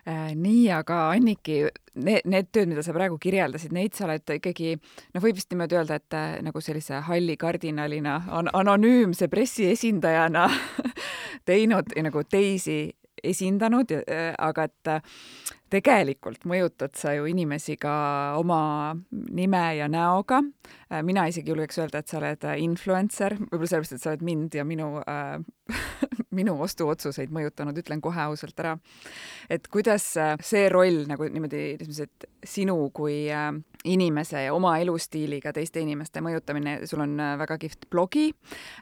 Äh, nii, aga Anniki, need, need tööd, mida sa praegu kirjeldasid, neid sa oled ikkagi, no võib vist niimoodi öelda, et äh, nagu sellise halli kardinalina, an- anonüümse pressiesindajana teinud ja nagu teisi esindanud, aga et tegelikult mõjutad sa ju inimesi ka oma nime ja näoga. Mina isegi julgeks öelda, et sa oled influencer, võib-olla sellepärast, et sa oled mind ja minu, äh, minu ostuotsuseid mõjutanud, ütlen kohe ausalt ära. Et kuidas see roll nagu niimoodi, et sinu kui äh, inimese ja oma elustiiliga teiste inimeste mõjutamine, sul on väga kihvt blogi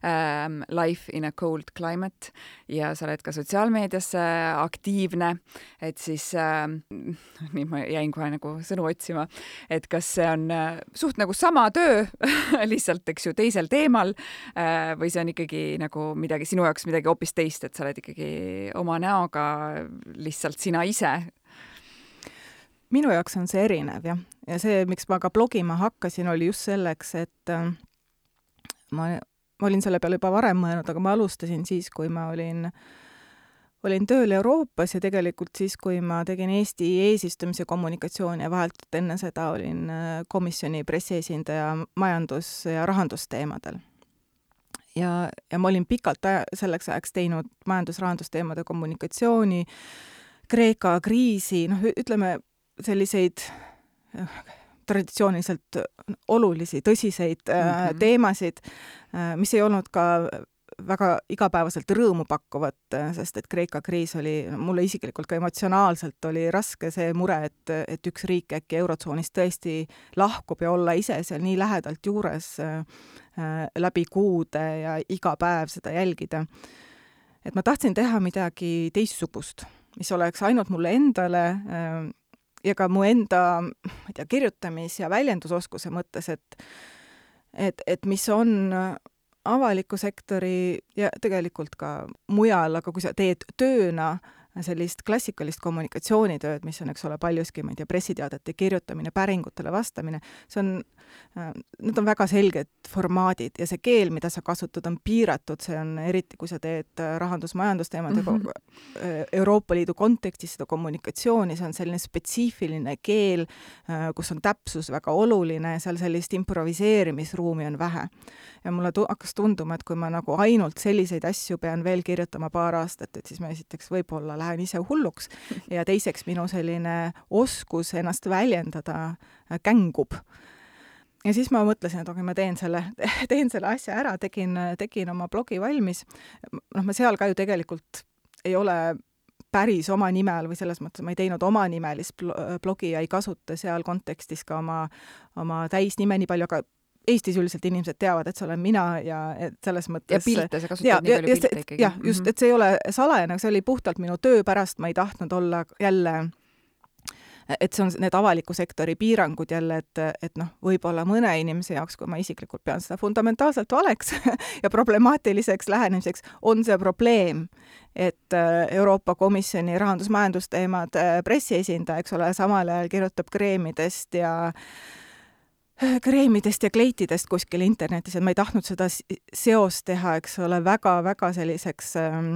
ähm, Life in a Cold Climate ja sa oled ka sotsiaalmeedias aktiivne, et siis äh, nii ma jäin kohe nagu sõnu otsima, et kas see on äh, suht nagu sama töö lihtsalt, eks ju, teisel teemal äh, või see on ikkagi nagu midagi, sinu jaoks midagi hoopis teist, et sa oled ikkagi oma näoga lihtsalt sina ise? Minu jaoks on see erinev, jah. Ja see, miks ma ka blogima hakkasin, oli just selleks, et äh, ma, ma olin selle peale juba varem mõelnud, aga ma alustasin siis, kui ma olin, olin tööl Euroopas ja tegelikult siis, kui ma tegin Eesti eesistumise kommunikatsiooni ja vahelt enne seda olin komisjoni pressiesindaja majandus- ja rahandusteemadel. Ja, ja ma olin pikalt aja, selleks ajaks teinud majandus-rahandusteemade kommunikatsiooni, Kreeka kriisi, noh, ütleme, selliseid traditsiooniliselt olulisi, tõsiseid mm-hmm. teemasid, mis ei olnud ka väga igapäevaselt rõõmu pakkuvat, sest et Kreeka kriis oli, mulle isiklikult ka emotsionaalselt oli raske see mure, et, et üks riik äkki eurotsoonist tõesti lahkub ja olla ise seal nii lähedalt juures läbi kuude ja iga päev seda jälgida. Et ma tahtsin teha midagi teistsugust, mis oleks ainult mulle endale ja ka mu enda, ma ei tea, kirjutamis- ja väljendusoskuse mõttes, et, et, et mis on avaliku sektori ja tegelikult ka mujal, aga kui sa teed tööna sellist klassikalist kommunikatsioonitööd, mis on, eks ole, paljuski, ma ei tea, pressiteadete kirjutamine, päringutele vastamine, see on, need on väga selged formaadid ja see keel, mida sa kasutad, on piiratud, see on eriti, kui sa teed rahandus-majandusteemad mm-hmm. Euroopa Liidu kontekstis seda kommunikatsiooni, see on selline spetsiifiline keel, kus on täpsus väga oluline ja seal sellist improviseerimisruumi on vähe. Ja mulle tu- hakkas tunduma, et kui ma nagu ainult selliseid asju pean veel kirjutama paar aastat, et siis ma esiteks võib-olla lähen ise hulluks ja teiseks minu selline oskus ennast väljendada kängub. Ja siis ma mõtlesin, et okei, ma teen selle, teen selle asja ära, tegin, tegin oma blogi valmis. Noh, ma seal ka ju tegelikult ei ole päris oma nimel või selles mõttes ma ei teinud oma nimelist blogi ja ei kasuta seal kontekstis ka oma, oma täisnime nii palju, aga Eestis üldiselt inimesed teavad, et see olen mina ja et selles mõttes... Ja pilte, sa kasutad ja, nii palju pilte ikkagi. Jah, just, et see ei ole salajane, see oli puhtalt minu töö pärast, ma ei tahtnud olla jälle, et see on need avaliku sektori piirangud jälle, et, et noh, võib-olla mõne inimese jaoks, kui ma isiklikult pean seda fundamentaalselt valeks ja problemaatiliseks lähenemiseks, on see probleem, et Euroopa Komisjoni rahandus-majandusteemad pressiesindaja, eks ole, samal ajal kirjutab kreemidest ja kreemidest ja kleitidest kuskil internetis, et ma ei tahtnud seda seost teha, eks ole, väga-väga selliseks ähm,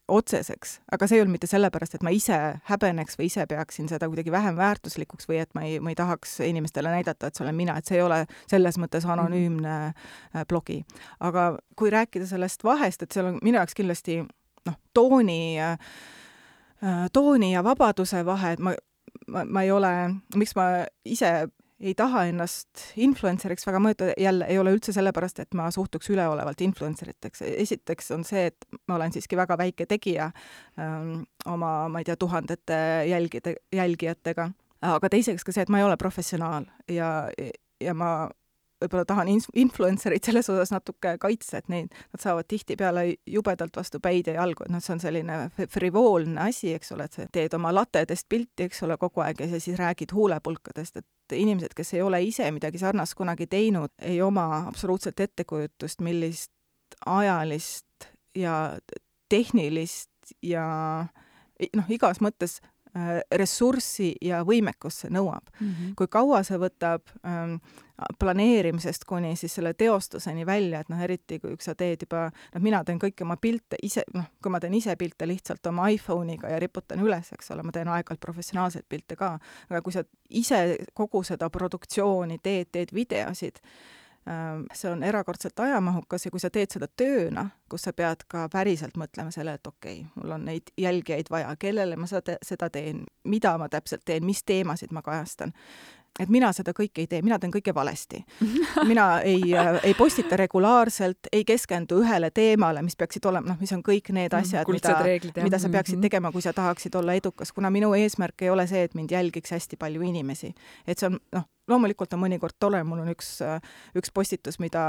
otseseks, aga see ei olnud mitte sellepärast, et ma ise häbeneks või ise peaksin seda kuidagi vähem väärtuslikuks või et ma ei, ma ei tahaks inimestele näidata, et see olen mina, et see ei ole selles mõttes anonüümne mm-hmm. blogi. Aga kui rääkida sellest vahest, et seal on minu jaoks kindlasti noh, tooni, tooni ja vabaduse vahe, et ma, ma, ma ei ole, miks ma ise ei taha ennast influenceriks väga mõjutada, jälle ei ole üldse sellepärast, et ma suhtuks üleolevalt influenceriteks. Esiteks on see, et ma olen siiski väga väike tegija ähm, oma, ma ei tea, tuhandete jälgide, jälgijatega, aga teiseks ka see, et ma ei ole professionaal ja, ja ma võib-olla tahan influencerid selles osas natuke kaitsta, et neid, nad saavad tihtipeale jubedalt vastu päid ja jalgu, et noh, see on selline frivoolne asi, eks ole, et sa teed oma latedest pilti, eks ole, kogu aeg ja siis räägid huulepulkadest, et inimesed, kes ei ole ise midagi sarnast kunagi teinud, ei oma absoluutselt ettekujutust, millist ajalist ja tehnilist ja noh, igas mõttes ressurssi ja võimekust see nõuab. Mm-hmm. Kui kaua see võtab ähm, planeerimisest kuni siis selle teostuseni välja, et noh, eriti kui sa teed juba, noh, mina teen kõiki oma pilte ise, noh, kui ma teen ise pilte lihtsalt oma iPhone'iga ja riputan üles, eks ole, ma teen aeg-ajalt professionaalseid pilte ka, aga kui sa ise kogu seda produktsiooni teed, teed videosid, see on erakordselt ajamahukas ja kui sa teed seda tööna, kus sa pead ka päriselt mõtlema selle, et okei, okay, mul on neid jälgijaid vaja, kellele ma seda, seda teen, mida ma täpselt teen, mis teemasid ma kajastan. Et mina seda kõike ei tee, mina teen kõike valesti. Mina ei, ei postita regulaarselt, ei keskendu ühele teemale, mis peaksid olema, noh, mis on kõik need asjad, mida, reeglid, mida sa peaksid tegema, kui sa tahaksid olla edukas, kuna minu eesmärk ei ole see, et mind jälgiks hästi palju inimesi. Et see on, noh, loomulikult on mõnikord tore, mul on üks, üks postitus, mida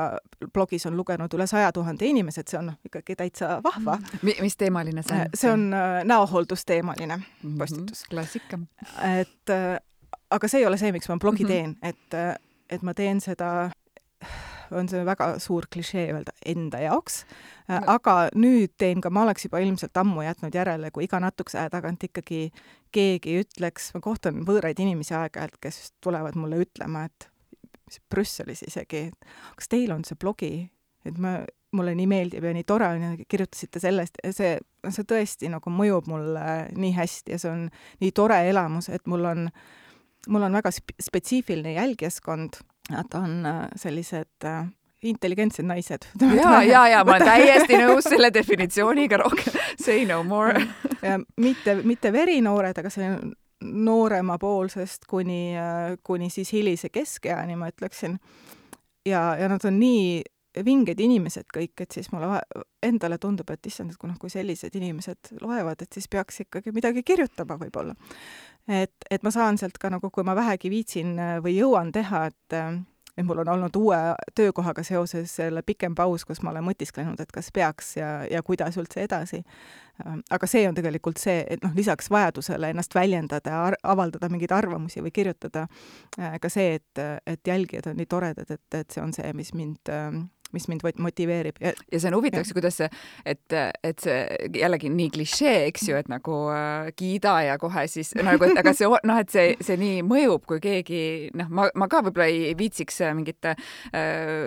blogis on lugenud üle saja tuhande inimesed, see on noh, ikkagi täitsa vahva. Mi, mis teemaline see on? See on näohooldusteemaline postitus. Klassika. Et aga see ei ole see, miks ma blogi teen, et, et ma teen seda, on see väga suur klišee öelda, enda jaoks, aga nüüd teen ka, ma oleks juba ilmselt ammu jätnud järele, kui iga natukese aja tagant ikkagi keegi ütleks, ma kohtan võõraid inimesi aeg-ajalt, kes tulevad mulle ütlema, et Brüsselis isegi, et kas teil on see blogi, et ma, mulle nii meeldib ja nii tore on ja kirjutasite sellest, see, see tõesti nagu mõjub mulle nii hästi ja see on nii tore elamus, et mul on mul on väga spetsiifiline jälgijaskond, nad on sellised intelligentsed naised. Ja, ja, ja, ma olen täiesti nõus selle definitsiooniga rohkem. Say no more. Ja mitte, mitte verinoored, aga see noorema poolsest kuni, kuni siis hilise keskeani, ma ütleksin. Ja, ja nad on nii vinged inimesed kõik, et siis mulle endale tundub, et issand, et kui, kui sellised inimesed loevad, et siis peaks ikkagi midagi kirjutama võib-olla. Et, et ma saan sealt ka nagu, kui ma vähegi viitsin või jõuan teha, et, et mul on olnud uue töökohaga seoses selle pikem paus, kus ma olen mõtisklenud, et kas peaks ja, ja kuidas üldse edasi. Aga see on tegelikult see, et noh, lisaks vajadusele ennast väljendada, avaldada mingeid arvamusi või kirjutada ka see, et, et jälgijad on nii toredad, et, et see on see, mis mind mis mind motiveerib. Ja, ja see on huvitavaks, kuidas see, et, et see jällegi nii klišee, eks ju, et nagu äh, kiida ja kohe siis, nagu, et, aga see, noh, et see, see nii mõjub, kui keegi, noh, ma, ma ka võib-olla ei viitsiks mingit äh,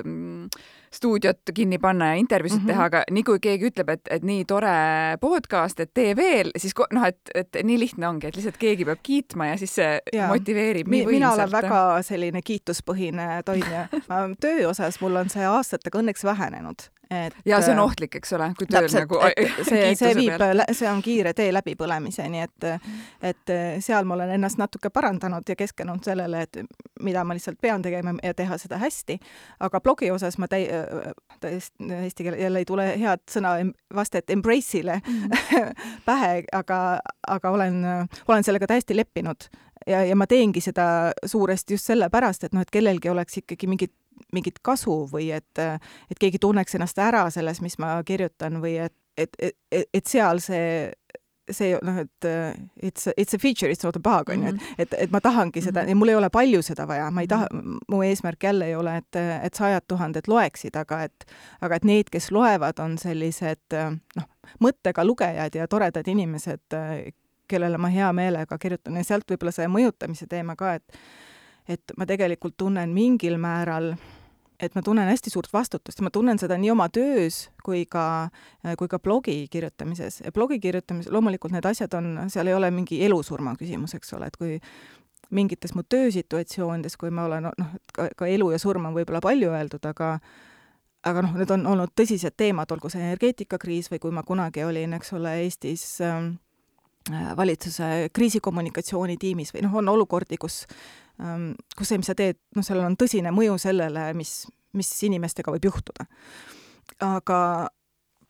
stuudiot kinni panna ja intervjuusid mm-hmm. teha, aga nii kui keegi ütleb, et, et nii tore podcast, et tee veel, siis noh, et, et nii lihtne ongi, et lihtsalt keegi peab kiitma ja siis see ja. motiveerib nii võimsalt. Mina olen väga selline kiituspõhine toimija. Töö osas mul on see aastatega õnneks vähenenud. Et, ja see on ohtlik, eks ole, kui tööl täpselt, nagu see, see viib, see on kiire tee läbipõlemiseni, et, et seal ma olen ennast natuke parandanud ja keskenud sellele, et mida ma lihtsalt pean tegema ja teha seda hästi. Aga blogi osas ma täi, täiesti eesti keele jälle ei tule head sõna vastet embrace'ile mm. pähe, aga, aga olen, olen sellega täiesti leppinud. Ja, ja ma teengi seda suuresti just sellepärast, et noh, et kellelgi oleks ikkagi mingit mingit kasu või et, et keegi tunneks ennast ära selles, mis ma kirjutan või et, et, et, et seal see, see noh, et it's a, it's a feature, it's not a bug, on ju, et, et, et ma tahangi seda, ja mul ei ole palju seda vaja, ma ei taha, mu eesmärk jälle ei ole, et, et sajad tuhanded loeksid, aga et, aga et need, kes loevad, on sellised noh, mõttega lugejad ja toredad inimesed, kellele ma hea meelega kirjutan ja sealt võib-olla see mõjutamise teema ka, et et ma tegelikult tunnen mingil määral, et ma tunnen hästi suurt vastutust ja ma tunnen seda nii oma töös kui ka, kui ka blogi kirjutamises. Ja blogi kirjutamises loomulikult need asjad on, seal ei ole mingi elusurma küsimus, eks ole, et kui mingites mu töösituatsioonides, kui ma olen, noh, ka, ka elu ja surm on võib-olla palju öeldud, aga aga noh, need on olnud tõsised teemad, olgu see energeetikakriis või kui ma kunagi olin, eks ole, Eestis äh, valitsuse kriisikommunikatsioonitiimis või noh, on olukordi, kus, kus see, mis sa teed, noh, sellel on tõsine mõju sellele, mis, mis inimestega võib juhtuda. Aga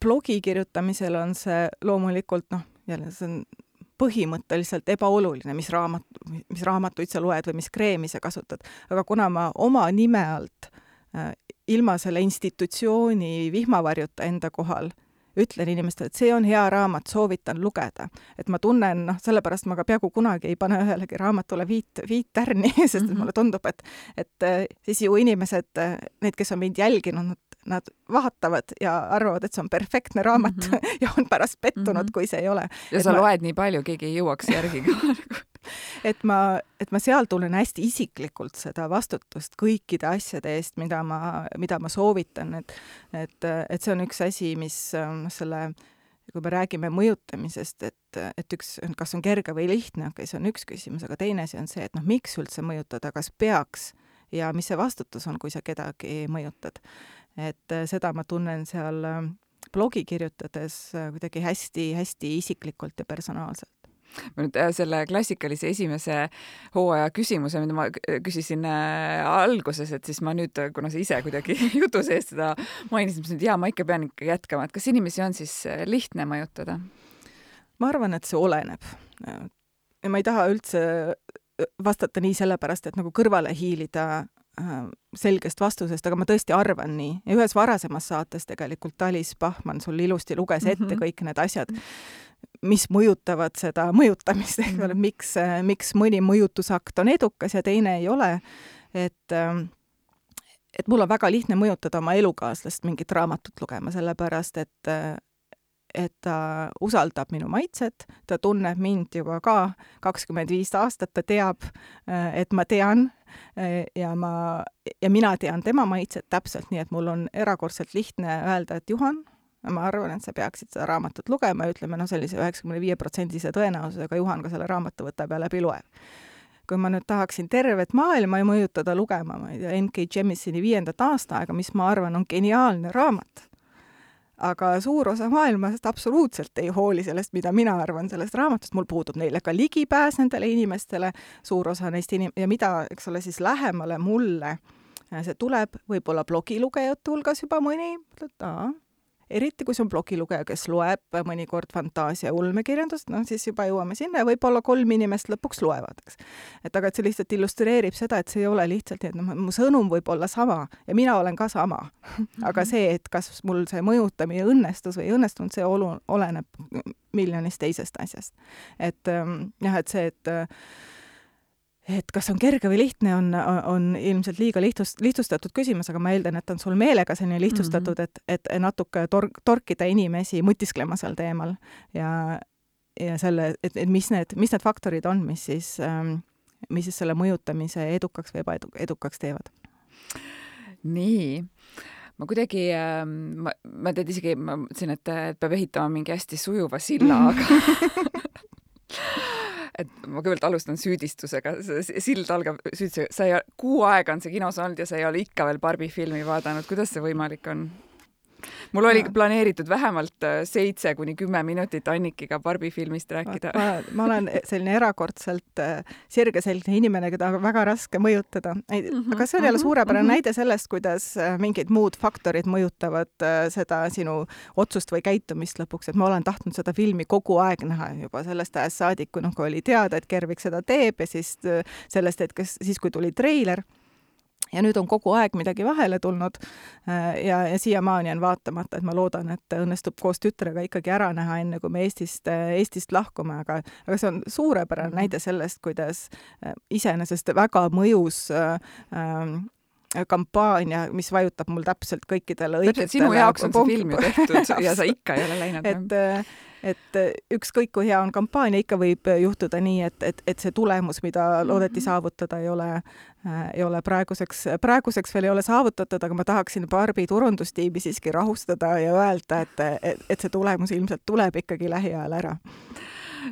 blogi kirjutamisel on see loomulikult, noh, jälle see on põhimõtteliselt ebaoluline, mis raamat, mis raamatuid sa loed või mis kreemi sa kasutad. Aga kuna ma oma nime alt äh, ilma selle institutsiooni vihmavarjuta enda kohal ütlen inimestele, et see on hea raamat, soovitan lugeda. Et ma tunnen, noh, sellepärast ma ka peaaegu kunagi ei pane ühelegi raamatule viit, viit tärni, sest mm-hmm. mulle tundub, et, et siis ju inimesed, need, kes on mind jälginud, nad vaatavad ja arvavad, et see on perfektne raamat mm-hmm. ja on pärast pettunud, mm-hmm. kui see ei ole. Ja et sa ma... loed nii palju, keegi ei jõuaks järgi ka. et ma, et ma seal tunnen hästi isiklikult seda vastutust kõikide asjade eest, mida ma, mida ma soovitan, et, et, et see on üks asi, mis selle, kui me räägime mõjutamisest, et, et üks, kas on kerge või lihtne, okay, see on üks küsimus, aga teine asi on see, et noh, miks üldse mõjutada, kas peaks ja mis see vastutus on, kui sa kedagi mõjutad. Et seda ma tunnen seal blogi kirjutades kuidagi hästi, hästi isiklikult ja personaalselt. Ma nüüd selle klassikalise esimese hooaja küsimuse, mida ma küsisin alguses, et siis ma nüüd, kuna sa ise kuidagi jutu sees seda mainisin, siis jaa, ma ikka pean ikka jätkama, et kas inimesi on siis lihtne mõjutada? Ma arvan, et see oleneb. Ja ma ei taha üldse vastata nii sellepärast, et nagu kõrvale hiilida selgest vastusest, aga ma tõesti arvan nii. Ja ühes varasemas saates tegelikult Talis Pahman sul ilusti luges ette mm-hmm. kõik need asjad, mis mõjutavad seda mõjutamist, ehk mm-hmm. miks, miks mõni mõjutusakt on edukas ja teine ei ole. Et, et mul on väga lihtne mõjutada oma elukaaslast mingit raamatut lugema, sellepärast, et et ta usaldab minu maitset, ta tunneb mind juba ka kakskümmend viis aastat, ta teab, et ma tean ja, ma, ja mina tean tema maitset täpselt, nii et mul on erakordselt lihtne öelda, et Juhan, ma arvan, et sa peaksid seda raamatut lugema ja ütleme, no sellise üheksakümne viie protsendise tõenäosusega Juhan ka selle raamatu võtab ja läbi loeb. Kui ma nüüd tahaksin tervet maailma ja mõjutada lugema, ma ei tea, N K Jemisoni viiendat aastaaega, mis ma arvan on geniaalne raamat, aga suur osa maailmast absoluutselt ei hooli sellest, mida mina arvan sellest raamatust. Mul puudub neile ka ligipääs nendele inimestele, suur osa neist inim- ja mida, eks ole, siis lähemale mulle see tuleb, võib-olla blogilugejate hulgas juba mõni, aa, eriti kui see on blogilugeja, kes loeb mõnikord fantaasia ulmekirjandust, no siis juba jõuame sinna ja võib-olla kolm inimest lõpuks loevad, eks. Et aga et see lihtsalt illustreerib seda, et see ei ole lihtsalt, et no, mu sõnum võib olla sama ja mina olen ka sama. Aga see, et kas mul see mõjutamine õnnestus või ei õnnestunud, see olu, oleneb miljonist teisest asjast. Et jah, et see, et et kas on kerge või lihtne, on, on ilmselt liiga lihtsust, lihtsustatud küsimus, aga ma eeldan, et on sul meelega selline lihtsustatud, mm-hmm. et, et natuke tor- torkida inimesi mõtisklema seal teemal ja, ja selle, et, et mis need, mis need faktorid on, mis siis, mis siis selle mõjutamise edukaks või ebaedukaks teevad. Nii. Ma kuidagi, ma, ma tead isegi, ma mõtlesin, et, et peab ehitama mingi hästi sujuva silla, aga et ma kõigepealt alustan süüdistusega. Sild algab süüdistusega. Sa ei, kuu aega on see kinos olnud ja sa ei ole ikka veel Barbie filmi vaadanud. Kuidas see võimalik on? Mul oli ja. planeeritud vähemalt seitse kuni kümme minutit Annikiga Barbie filmist rääkida. Ma, ma olen selline erakordselt sirgeselgne inimene, keda on väga raske mõjutada. Mm-hmm, aga see on jälle suurepärane mm-hmm. näide sellest, kuidas mingid muud faktorid mõjutavad seda sinu otsust või käitumist lõpuks. Et ma olen tahtnud seda filmi kogu aeg näha juba sellest ajast saadik, kui, noh, kui oli teada, et Gervik seda teeb ja siis sellest, et kas, siis kui tuli treiler. Ja nüüd on kogu aeg midagi vahele tulnud ja, ja siiamaani on vaatamata, et ma loodan, et õnnestub koos tütrega ikkagi ära näha enne, kui me Eestist, Eestist lahkume, aga, aga see on suurepärane näide sellest, kuidas iseenesest väga mõjus äh, kampaania, mis vajutab mul täpselt kõikidele õigetele. Sinu jaoks on see film ju tehtud ja sa ikka ei ole läinud. Et, et ükskõik kui hea on kampaania, ikka võib juhtuda nii, et, et, et see tulemus, mida loodeti saavutada, ei ole, ei ole praeguseks, praeguseks veel ei ole saavutatud, aga ma tahaksin Barbie turundustiimi siiski rahustada ja öelda, et, et, et see tulemus ilmselt tuleb ikkagi lähiajal ära.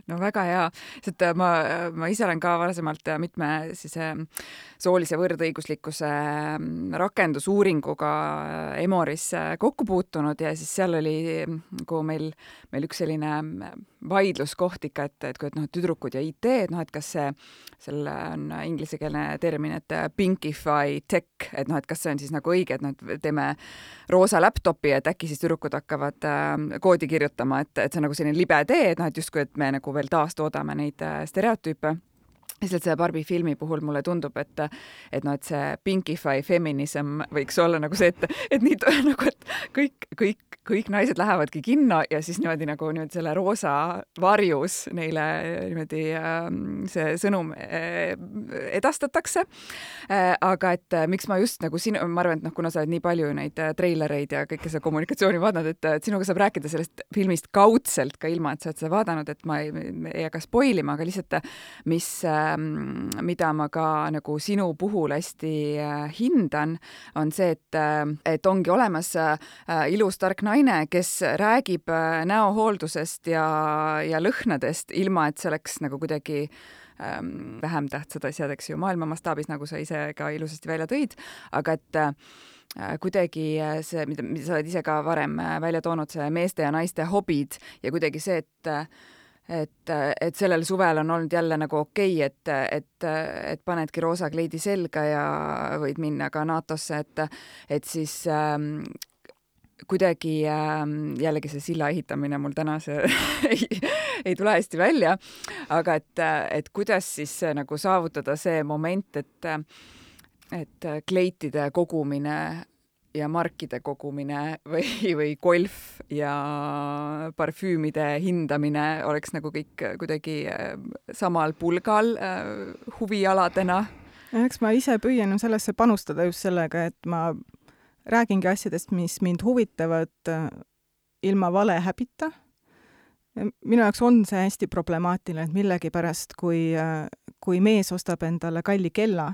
No väga hea, sest ma, ma ise olen ka varasemalt mitme siis soolise võrdõiguslikkuse rakendusuuringuga Emoris kokku puutunud ja siis seal oli, kui meil, meil üks selline vaidluskoht ikka, et, et kui et noh, tüdrukud ja I T, et noh, et kas see, selle on inglisekeelne termin, et pinkify tech, et noh, et kas see on siis nagu õige, et noh, et teeme roosa laptopi, et äkki siis tüdrukud hakkavad äh, koodi kirjutama, et, et see on nagu selline libe tee, et noh, et justkui, et me nagu veel taastoodame neid äh, stereotüüpe. Lihtsalt selle Barbie filmi puhul mulle tundub, et, et noh, et see pinkify feminism võiks olla nagu see, et, et nii nagu, et kõik, kõik, kõik naised lähevadki kinno ja siis niimoodi nagu niimoodi selle roosa varjus neile niimoodi äh, see sõnum äh, edastatakse äh,. aga et äh, miks ma just nagu sinu, ma arvan, et noh, kuna sa oled nii palju neid äh, treilereid ja kõike seda kommunikatsiooni vaadanud, et, et sinuga saab rääkida sellest filmist kaudselt ka ilma, et sa oled seda vaadanud, et ma ei, ei hakka spoilima, aga lihtsalt mis äh, mida ma ka nagu sinu puhul hästi äh, hindan, on see, et, äh, et ongi olemas äh, ilus tark naine, kes räägib äh, näohooldusest ja, ja lõhnadest, ilma et see oleks nagu kuidagi ähm, vähem tähtsad asjad, eks ju, maailma mastaabis, nagu sa ise ka ilusasti välja tõid, aga et äh, kuidagi see, mida, mida sa oled ise ka varem välja toonud, see meeste ja naiste hobid ja kuidagi see, et et, et sellel suvel on olnud jälle nagu okei, et, et, et panedki roosa kleidi selga ja võid minna ka NATO-sse, et, et siis ähm, kuidagi ähm, jällegi see silla ehitamine mul täna see ei, ei tule hästi välja, aga et, et kuidas siis nagu saavutada see moment, et, et kleitide kogumine ja markide kogumine või, või golf ja parfüümide hindamine oleks nagu kõik kuidagi samal pulgal äh, huvialadena. Eks ma ise püüan sellesse panustada just sellega, et ma räägingi asjadest, mis mind huvitavad ilma vale häbita. Minu jaoks on see hästi problemaatiline, et millegipärast, kui, kui mees ostab endale kalli kella,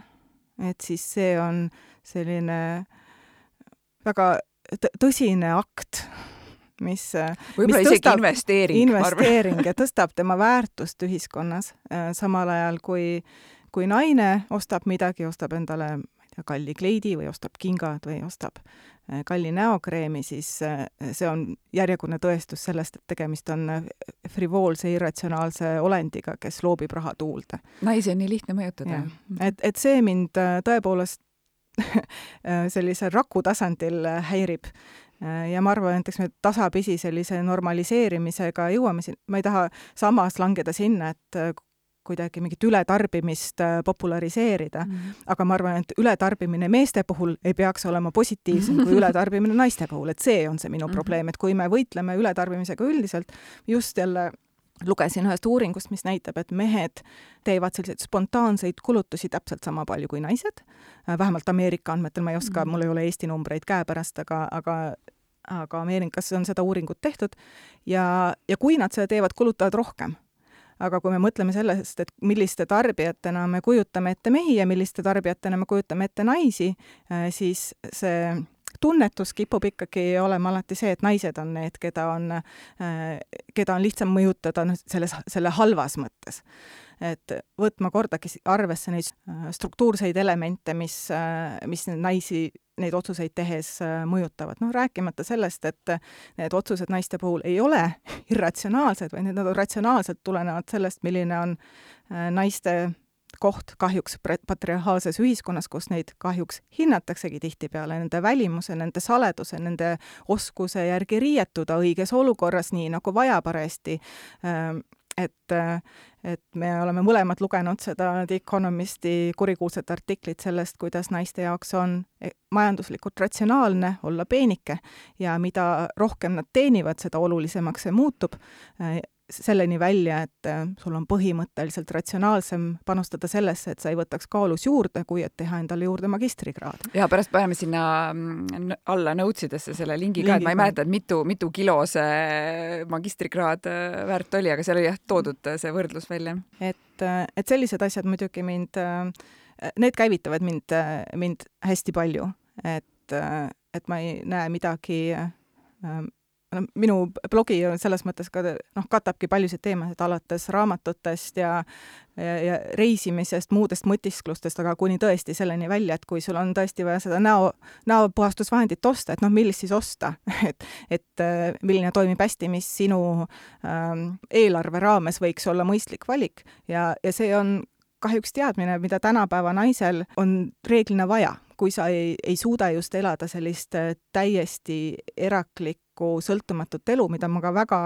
et siis see on selline väga tõsine akt, mis, võib-olla mis isegi tõstab, investeering, investeering ja tõstab tema väärtust ühiskonnas. Samal ajal, kui, kui naine ostab midagi, ostab endale ma ei tea, kalli kleidi või ostab kingad või ostab kalli näokreemi, siis see on järjekordne tõestus sellest, et tegemist on frivoolse, irratsionaalse olendiga, kes loobib raha tuulde. Naisi on nii lihtne mõjutada. Et, et see mind tõepoolest sellisel raku tasandil häirib. Ja ma arvan, et eks me tasapisi sellise normaliseerimisega jõuame siin. Ma ei taha samas langeda sinna, et kuidagi mingit ületarbimist populariseerida, mm. aga ma arvan, et ületarbimine meeste puhul ei peaks olema positiivsem kui ületarbimine naiste puhul, et see on see minu probleem, et kui me võitleme ületarbimisega üldiselt, just jälle lugesin ühest uuringust, mis näitab, et mehed teevad selliseid spontaanseid kulutusi täpselt sama palju kui naised. Vähemalt Ameerika andmetel, ma ei oska, mul ei ole Eesti numbreid käepärast, aga, aga, aga Ameerikas on seda uuringut tehtud ja, ja kui nad seda teevad, kulutavad rohkem. Aga kui me mõtleme sellest, et milliste tarbijatena me kujutame ette mehi ja milliste tarbijatena me kujutame ette naisi, siis see tunnetus kipub ikkagi olema alati see, et naised on need, keda on, keda on lihtsam mõjutada selles, selle halvas mõttes. Et võtma kordagi arvesse neid struktuurseid elemente, mis, mis naisi neid otsuseid tehes mõjutavad. Noh, rääkimata sellest, et need otsused naiste puhul ei ole irratsionaalsed, või need on ratsionaalselt tulenevad sellest, milline on naiste koht kahjuks patriarhaalses ühiskonnas, kus neid kahjuks hinnataksegi tihtipeale nende välimuse, nende saleduse, nende oskuse järgi riietuda õiges olukorras, nii nagu vaja paresti. Et, et me oleme mõlemad lugenud seda The Economisti kurikuulsat artiklit sellest, kuidas naiste jaoks on majanduslikult ratsionaalne olla peenike ja mida rohkem nad teenivad, seda olulisemaks see muutub. Selleni välja, et sul on põhimõtteliselt ratsionaalsem panustada sellesse, et sa ei võtaks kaalus juurde, kui et teha endale juurde magistrikraad. Ja pärast paneme sinna alla notsidesse selle lingi ka, et ma ei mäleta, et mitu, mitu kilo see magistrikraad väärt oli, aga seal oli jah toodud see võrdlus välja. Et, et sellised asjad muidugi mind, need käivitavad mind, mind hästi palju, et, et ma ei näe midagi minu blogi on selles mõttes ka, noh, katabki paljusid teemasid alates raamatutest ja, ja, ja reisimisest, muudest mõtisklustest, aga kuni tõesti selleni välja, et kui sul on tõesti vaja seda näo, näopuhastusvahendit osta, et noh, millist siis osta, et, et milline toimib hästi, mis sinu ähm, eelarve raames võiks olla mõistlik valik ja, ja see on kahjuks teadmine, mida tänapäeva naisel on reeglina vaja, kui sa ei, ei suuda just elada sellist täiesti eraklikku sõltumatut elu, mida ma ka väga,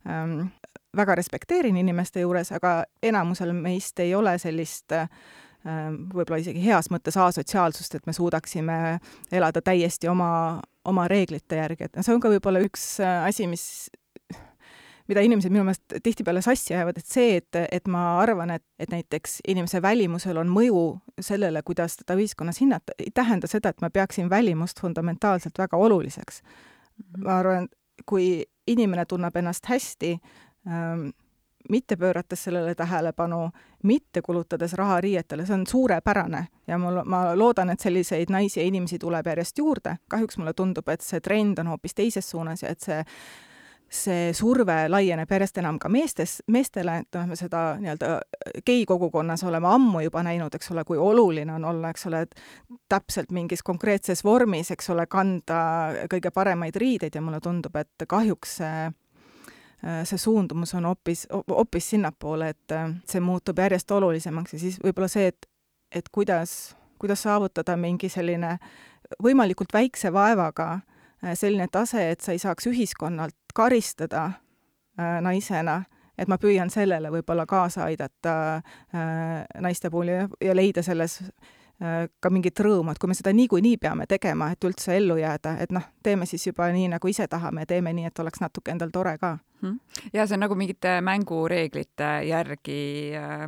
ähm, väga respekteerin inimeste juures, aga enamusel meist ei ole sellist ähm, võib-olla isegi heas mõttes asotsiaalsust, et me suudaksime elada täiesti oma, oma reeglite järgi. Et see on ka võib-olla üks asi, mis mida inimesed minu meelest tihtipeale sassi ajavad, et see, et, et ma arvan, et, et näiteks inimese välimusel on mõju sellele, kuidas teda ühiskonnas hinnata, ei tähenda seda, et ma peaksin välimust fundamentaalselt väga oluliseks. Mm-hmm. Ma arvan, kui inimene tunneb ennast hästi, ähm, mitte pöörates sellele tähelepanu, mitte kulutades raha riietele, see on suurepärane ja mul, ma loodan, et selliseid naisi ja inimesi tuleb järjest juurde. Kahjuks mulle tundub, et see trend on hoopis teises suunas ja et see see surve laieneb järjest enam ka meestes, meestele, et me seda nii-öelda gei-kogukonnas oleme ammu juba näinud, eks ole, kui oluline on olla, eks ole, et täpselt mingis konkreetses vormis, eks ole, kanda kõige paremaid riideid ja mulle tundub, et kahjuks see, see suundumus on hoopis, hoopis sinnapoole, et see muutub järjest olulisemaks ja siis võib-olla see, et, et kuidas, kuidas saavutada mingi selline võimalikult väikse vaevaga selline tase, et sa ei saaks ühiskonnalt karistada äh, naisena, et ma püüan sellele võib-olla kaasa aidata äh, naiste puhul ja, ja leida selles äh, ka mingit rõõmu, et kui me seda niikuinii peame tegema, et üldse ellu jääda, et noh, teeme siis juba nii, nagu ise tahame, teeme nii, et oleks natuke endal tore ka. Ja see on nagu mingite mängureeglite järgi äh,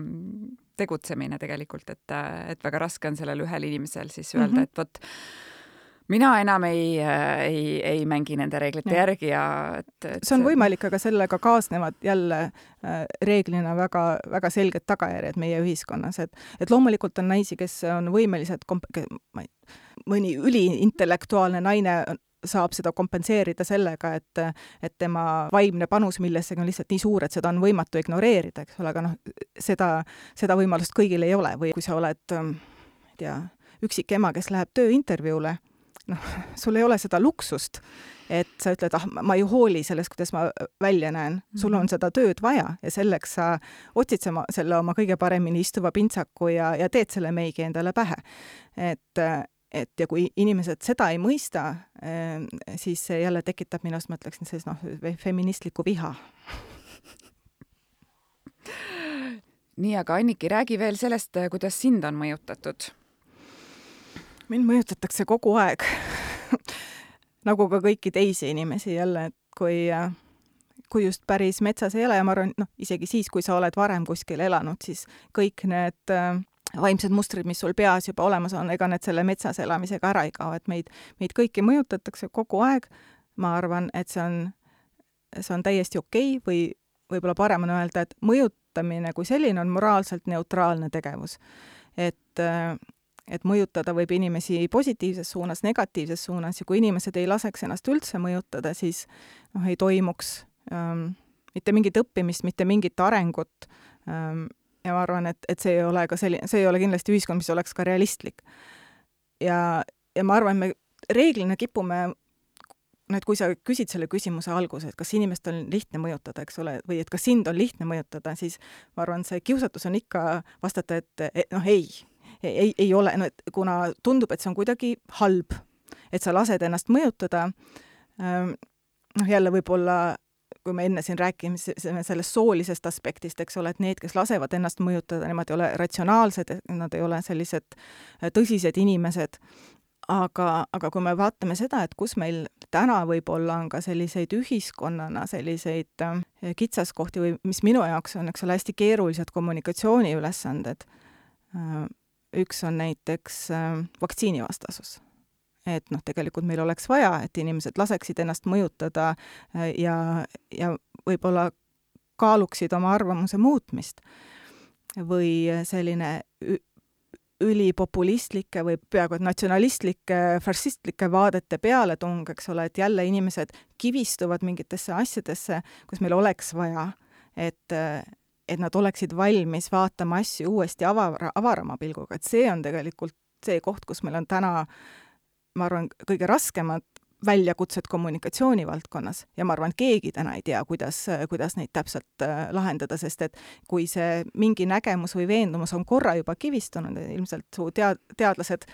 tegutsemine tegelikult, et, et väga raske on sellel ühel inimesel siis öelda, mm-hmm. et vot mina enam ei, ei, ei mängi nende reeglite ja. järgi ja et, et see on võimalik, aga sellega kaasnevad jälle äh, reeglina väga, väga selged tagajärjed meie ühiskonnas, et, et loomulikult on naisi, kes on võimelised, komp- ma ei, mõni üliintellektuaalne naine saab seda kompenseerida sellega, et, et tema vaimne panus millessegi on lihtsalt nii suur, et seda on võimatu ignoreerida, eks ole, aga noh, seda, seda võimalust kõigil ei ole või kui sa oled, ei tea, üksik ema, kes läheb tööintervjuule, noh, sul ei ole seda luksust, et sa ütled, ah, ma ei hooli sellest, kuidas ma välja näen. Sul on seda tööd vaja ja selleks sa otsid sama, selle oma kõige paremini istuva pintsaku ja, ja teed selle meigi endale pähe. Et, et ja kui inimesed seda ei mõista, siis see jälle tekitab minust, ma ütleksin, siis noh, feministlikku viha. Nii, aga Anniki, räägi veel sellest, kuidas sind on mõjutatud. Mind mõjutatakse kogu aeg, nagu ka kõiki teisi inimesi jälle, et kui, kui just päris metsas ei ole ja ma arvan, noh, isegi siis, kui sa oled varem kuskil elanud, siis kõik need vaimsed mustrid, mis sul peas juba olemas on, ega need selle metsas elamisega ära ei kao, et meid, meid kõiki mõjutatakse kogu aeg. Ma arvan, et see on, see on täiesti okei või võib-olla parem on öelda, et mõjutamine kui selline on moraalselt neutraalne tegevus. Et et mõjutada võib inimesi positiivses suunas, negatiivses suunas ja kui inimesed ei laseks ennast üldse mõjutada, siis noh, ei toimuks ähm, mitte mingit õppimist, mitte mingit arengut ähm, ja ma arvan, et, et see ei ole ka selline, see ei ole kindlasti ühiskond, mis oleks ka realistlik. Ja, ja ma arvan, me reeglina kipume, no et kui sa küsid selle küsimuse alguse, et kas inimest on lihtne mõjutada, eks ole, või et kas sind on lihtne mõjutada, siis ma arvan, see kiusatus on ikka vastata, et, et noh, ei. Ei, ei ole, no, et kuna tundub, et see on kuidagi halb, et sa lased ennast mõjutada, noh jälle võib-olla, kui me enne siin rääkime sellest soolisest aspektist, eks ole, et need, kes lasevad ennast mõjutada, nemad ei ole ratsionaalsed, nad ei ole sellised tõsised inimesed, aga, aga kui me vaatame seda, et kus meil täna võib-olla on ka selliseid ühiskonnana selliseid kitsaskohti või mis minu jaoks on, eks ole, hästi keerulised kommunikatsiooniülesanded, üks on näiteks äh, vaktsiinivastasus. Et noh, tegelikult meil oleks vaja, et inimesed laseksid ennast mõjutada äh, ja, ja võib-olla kaaluksid oma arvamuse muutmist. Või selline ülipopulistlike või peaaegu et natsionalistlike, fašistlike vaadete pealetung, eks ole, et jälle inimesed kivistuvad mingitesse asjadesse, kus meil oleks vaja, et, et nad oleksid valmis vaatama asju uuesti avara, avarama pilguga, et see on tegelikult see koht, kus meil on täna, ma arvan, kõige raskemad väljakutsed kommunikatsiooni valdkonnas ja ma arvan, et keegi täna ei tea, kuidas, kuidas neid täpselt lahendada, sest et kui see mingi nägemus või veendumus on korra juba kivistunud, ilmselt su tead, teadlased,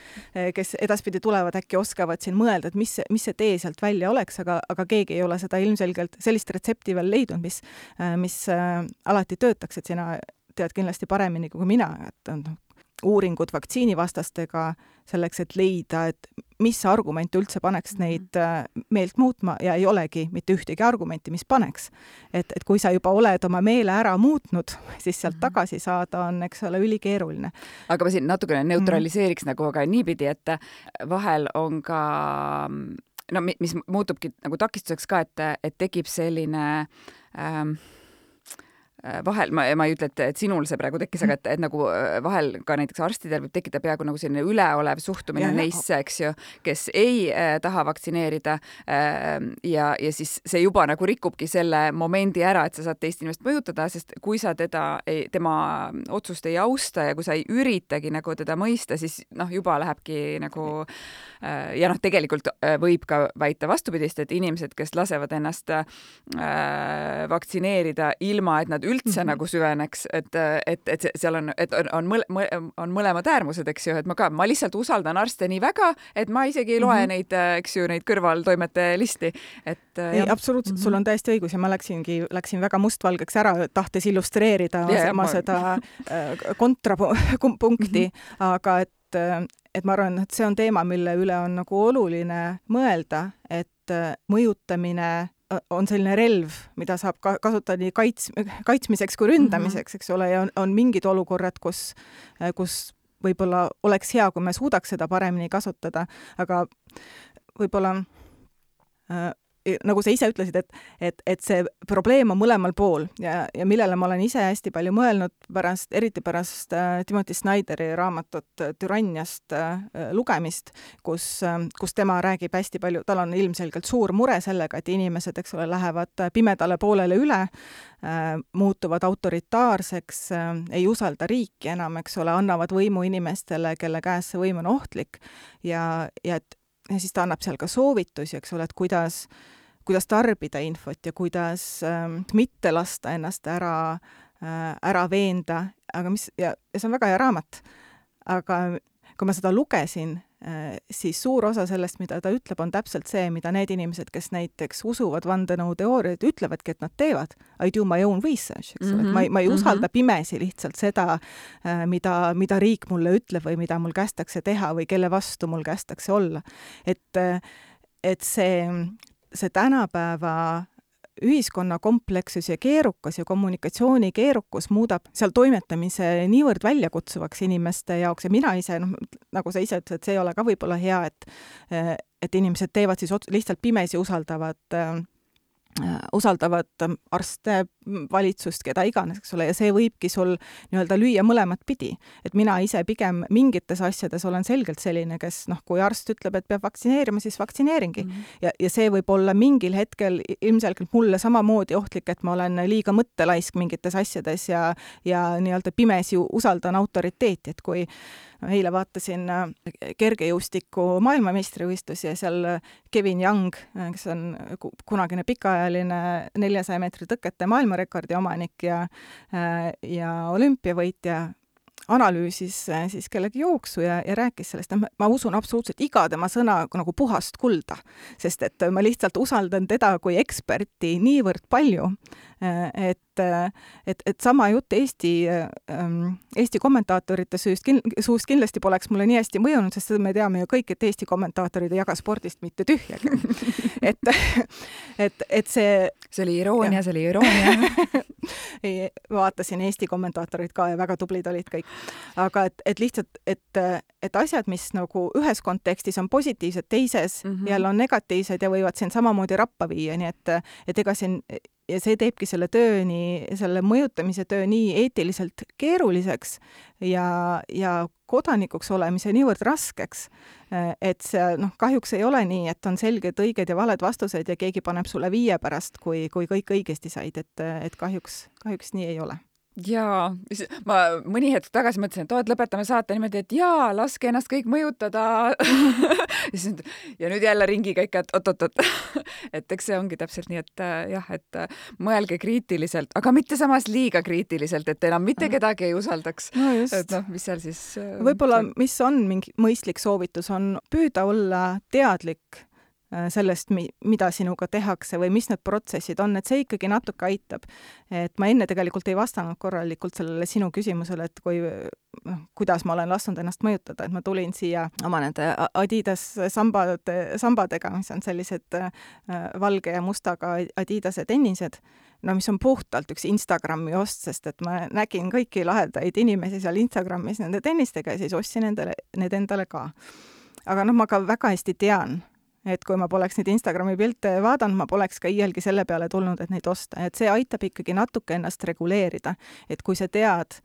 kes edaspidi tulevad, äkki oskavad siin mõelda, et mis, mis see tee sealt välja oleks, aga, aga keegi ei ole seda ilmselgelt sellist retsepti veel leidnud, mis, mis alati töötaks, et sina tead kindlasti paremini kui mina, et on uuringud vaktsiinivastastega selleks, et leida, et mis argument üldse paneks neid meelt muutma ja ei olegi mitte ühtegi argumenti, mis paneks. Et, et kui sa juba oled oma meele ära muutnud, siis sealt tagasi saada on, eks ole, ülikeeruline. Aga ma siin natukene neutraliseeriks mm. nagu aga niipidi, et vahel on ka, no mis muutubki nagu takistuseks ka, et, et tekib selline ähm, vahel, ma, ma ei ütle, et, et sinul see praegu tekkis, aga et, et nagu vahel ka näiteks arstidel võib tekkida peaaegu nagu selline üleolev suhtumine ja, neisse, eks ju, kes ei äh, taha vaktsineerida äh, ja, ja siis see juba nagu rikubki selle momendi ära, et sa saad teist inimest mõjutada, sest kui sa teda, ei, tema otsust ei austa ja kui sa ei üritagi nagu teda mõista, siis noh, juba lähebki nagu äh, ja noh, tegelikult äh, võib ka väita vastupidist, et inimesed, kes lasevad ennast äh, vaktsineerida ilma, et nad üldse mm-hmm. nagu süveneks, et, et, et seal on, et on, on, mõle, on mõlemad äärmused, eks ju, et ma ka, ma lihtsalt usaldan arste nii väga, et ma isegi ei loe mm-hmm. neid, eks ju, neid kõrvaltoimete listi. Et, ei, absoluutselt, mm-hmm. sul on täiesti õigus ja ma läksingi, läksin väga mustvalgeks ära, tahtes illustreerida ja, ma ma... seda kontrapunkti, mm-hmm. aga et, et ma arvan, et see on teema, mille üle on nagu oluline mõelda, et mõjutamine on selline relv, mida saab ka kasutada nii kaits, kaitsmiseks kui ründamiseks, eks ole, ja on, on mingid olukorrad, kus, kus võib-olla oleks hea, kui me suudaks seda paremini kasutada, aga võib-olla äh, nagu sa ise ütlesid, et, et, et see probleem on mõlemal pool ja, ja millele ma olen ise hästi palju mõelnud pärast, eriti pärast äh, Timothy Snyderi raamatut Türanniast äh, lugemist, kus, äh, kus tema räägib hästi palju, tal on ilmselgelt suur mure sellega, et inimesed, eks ole, lähevad pimedale poolele üle, äh, muutuvad autoritaarseks, äh, ei usalda riiki enam, eks ole, annavad võimu inimestele, kelle käes see võim on ohtlik ja, ja et ja siis ta annab seal ka soovitusi, eks ole, et kuidas, kuidas tarbida infot ja kuidas ähm, mitte lasta ennast ära, äh, ära veenda, aga mis, ja, ja see on väga hea raamat. Aga kui ma seda lugesin, äh, siis suur osa sellest, mida ta ütleb, on täpselt see, mida need inimesed, kes näiteks usuvad vandenõuteooriaid, ütlevadki, et nad teevad. I do my own research, eks ole, mm-hmm. et ma ei, ma ei usalda mm-hmm. pimesi lihtsalt seda, äh, mida, mida riik mulle ütleb või mida mul kästakse teha või kelle vastu mul kästakse olla. Et, et see, see tänapäeva ühiskonna komplekssus ja keerukas ja kommunikatsiooni keerukus muudab seal toimetamise niivõrd väljakutsuvaks inimeste jaoks ja mina ise, noh, nagu sa ise ütlesid, et see ei ole ka võib-olla hea, et, et inimesed teevad siis lihtsalt pimesi usaldavad äh, usaldavad arste, valitsust, keda iganes, eks ole, ja see võibki sul nii-öelda lüüa mõlemat pidi. Et mina ise pigem mingites asjades olen selgelt selline, kes, noh, kui arst ütleb, et peab vaktsineerima, siis vaktsineeringi. Mm-hmm. Ja, ja see võib olla mingil hetkel ilmselgelt mulle samamoodi ohtlik, et ma olen liiga mõttelaisk mingites asjades ja, ja nii-öelda pimesi usaldan autoriteeti, et kui eile vaatasin kergejõustiku maailmameistrivõistlusi ja seal Kevin Young, kes on kunagine pikaajaline neljasaja meetri tõkete maailmarekordi omanik ja, ja olümpiavõitja, analüüsis siis kellegi jooksu ja, ja rääkis sellest, et ma usun absoluutselt iga tema sõna nagu puhast kulda, sest et ma lihtsalt usaldan teda kui eksperti niivõrd palju, et, et, et sama jutt Eesti, Eesti kommentaatorite süüst, suust kindlasti poleks mulle nii hästi mõjunud, sest me teame ju kõik, et Eesti kommentaatorid ei jaga spordist mitte tühjagi. et, et, et see... See oli iroonia, see oli iroonia. ei, vaatasin Eesti kommentaatorid ka ja väga tublid olid kõik. Aga et, et lihtsalt, et, et asjad, mis nagu ühes kontekstis on positiivsed, teises mm-hmm. jälle on negatiivsed ja võivad siin samamoodi rappa viia, nii et, et ega siin ja see teebki selle töö nii, selle mõjutamise töö nii eetiliselt keeruliseks ja, ja kodanikuks olemise niivõrd raskeks, et see noh, kahjuks ei ole nii, et on selged õiged ja valed vastused ja keegi paneb sulle viie pärast, kui, kui kõik õigesti said, et, et kahjuks, kahjuks nii ei ole. Jaa, ma mõni hetk tagasi mõtlesin, et oot, lõpetame saate niimoodi, et jaa, laske ennast kõik mõjutada. ja nüüd jälle ringiga ikka, et oot-oot-oot. et eks see ongi täpselt nii, et jah, et mõelge kriitiliselt, aga mitte samas liiga kriitiliselt, et enam mitte kedagi ei usaldaks. No just. Et noh, mis seal siis... Võib-olla, mis on mingi mõistlik soovitus, on püüda olla teadlik sellest, mida sinuga tehakse või mis need protsessid on, et see ikkagi natuke aitab. Et ma enne tegelikult ei vastanud korralikult sellele sinu küsimusele, et kui, kuidas ma olen lasknud ennast mõjutada, et ma tulin siia oma nende Adidas sambade, sambadega, mis on sellised valge ja mustaga Adidase tennised, no mis on puhtalt üks Instagrami ost, sest et ma nägin kõiki lahedaid inimesi seal Instagramis nende tennistega ja siis ostsin endale, need endale ka. Aga noh, ma ka väga hästi tean, et kui ma poleks neid Instagrami pilte vaadanud, ma poleks ka iialgi selle peale tulnud, et neid osta. Et see aitab ikkagi natuke ennast reguleerida. Et kui sa tead,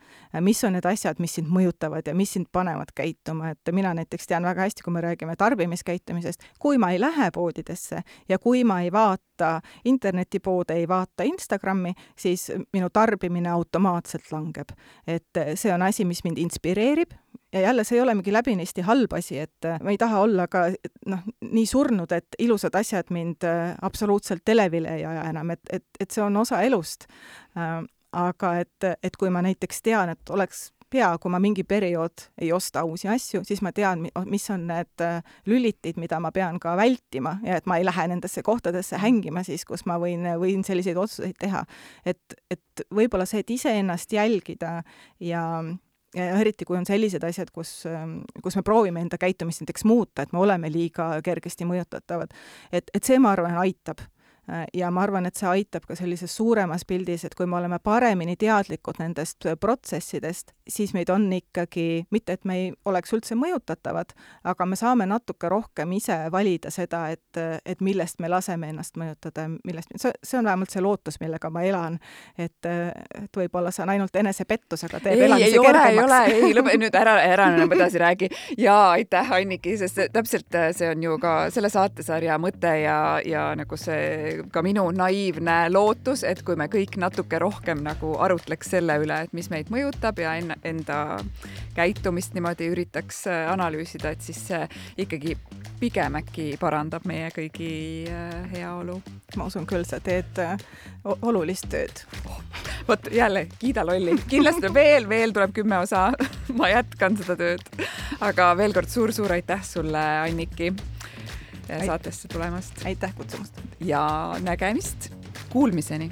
mis on need asjad, mis sind mõjutavad ja mis sind panevad käituma, et mina näiteks tean väga hästi, kui me räägime tarbimiskäitumisest, kui ma ei lähe poodidesse ja kui ma ei vaata internetipoode, ei vaata Instagrami, siis minu tarbimine automaatselt langeb. Et see on asi, mis mind inspireerib. Ja jälle see ei ole mingi läbinisti halb asi, et ma ei taha olla ka noh, nii surnud, et ilusad asjad mind absoluutselt televile ei aja enam, et, et, et see on osa elust. Aga et, et kui ma näiteks tean, et oleks hea, kui ma mingi periood ei osta uusi asju, siis ma tean, mis on need lülitid, mida ma pean ka vältima ja et ma ei lähe nendesse kohtadesse hängima siis, kus ma võin, võin selliseid otsuseid teha. Et, et võib-olla see, et ise ennast jälgida ja ja eriti kui on sellised asjad, kus, kus me proovime enda käitumist näiteks muuta, et me oleme liiga kergesti mõjutatavad. Et, et see, ma arvan, aitab. Ja ma arvan, et see aitab ka sellises suuremas pildis, et kui me oleme paremini teadlikud nendest protsessidest, siis meid on ikkagi, mitte et me ei oleks üldse mõjutatavad, aga me saame natuke rohkem ise valida seda, et, et millest me laseme ennast mõjutada, millest, see, see on vähemalt see lootus, millega ma elan, et, et võib-olla see on ainult enesepettus, aga teeb elamise kergemaks. Ei ole, ei ole, ei lõpe, nüüd ära, ära enam edasi räägi. Jaa, aitäh, Anniki, sest täpselt see on ju ka selle saatesarja mõte ja, ja nagu see ka minu naiivne lootus, et kui me kõik natuke rohkem nagu arutleks selle üle, et mis meid mõjutab ja en, enda käitumist niimoodi üritaks analüüsida, et siis see ikkagi pigem äkki parandab meie kõigi heaolu. Ma usun küll, sa teed olulist tööd. Oh, võt, jälle, kiida lolli. Kindlasti veel, veel tuleb kümme osa. Ma jätkan seda tööd. Aga veel kord suur-suur aitäh sulle, Anniki, saatesse tulemast. Aitäh kutsumast. Ja nägemist. Kuulmiseni.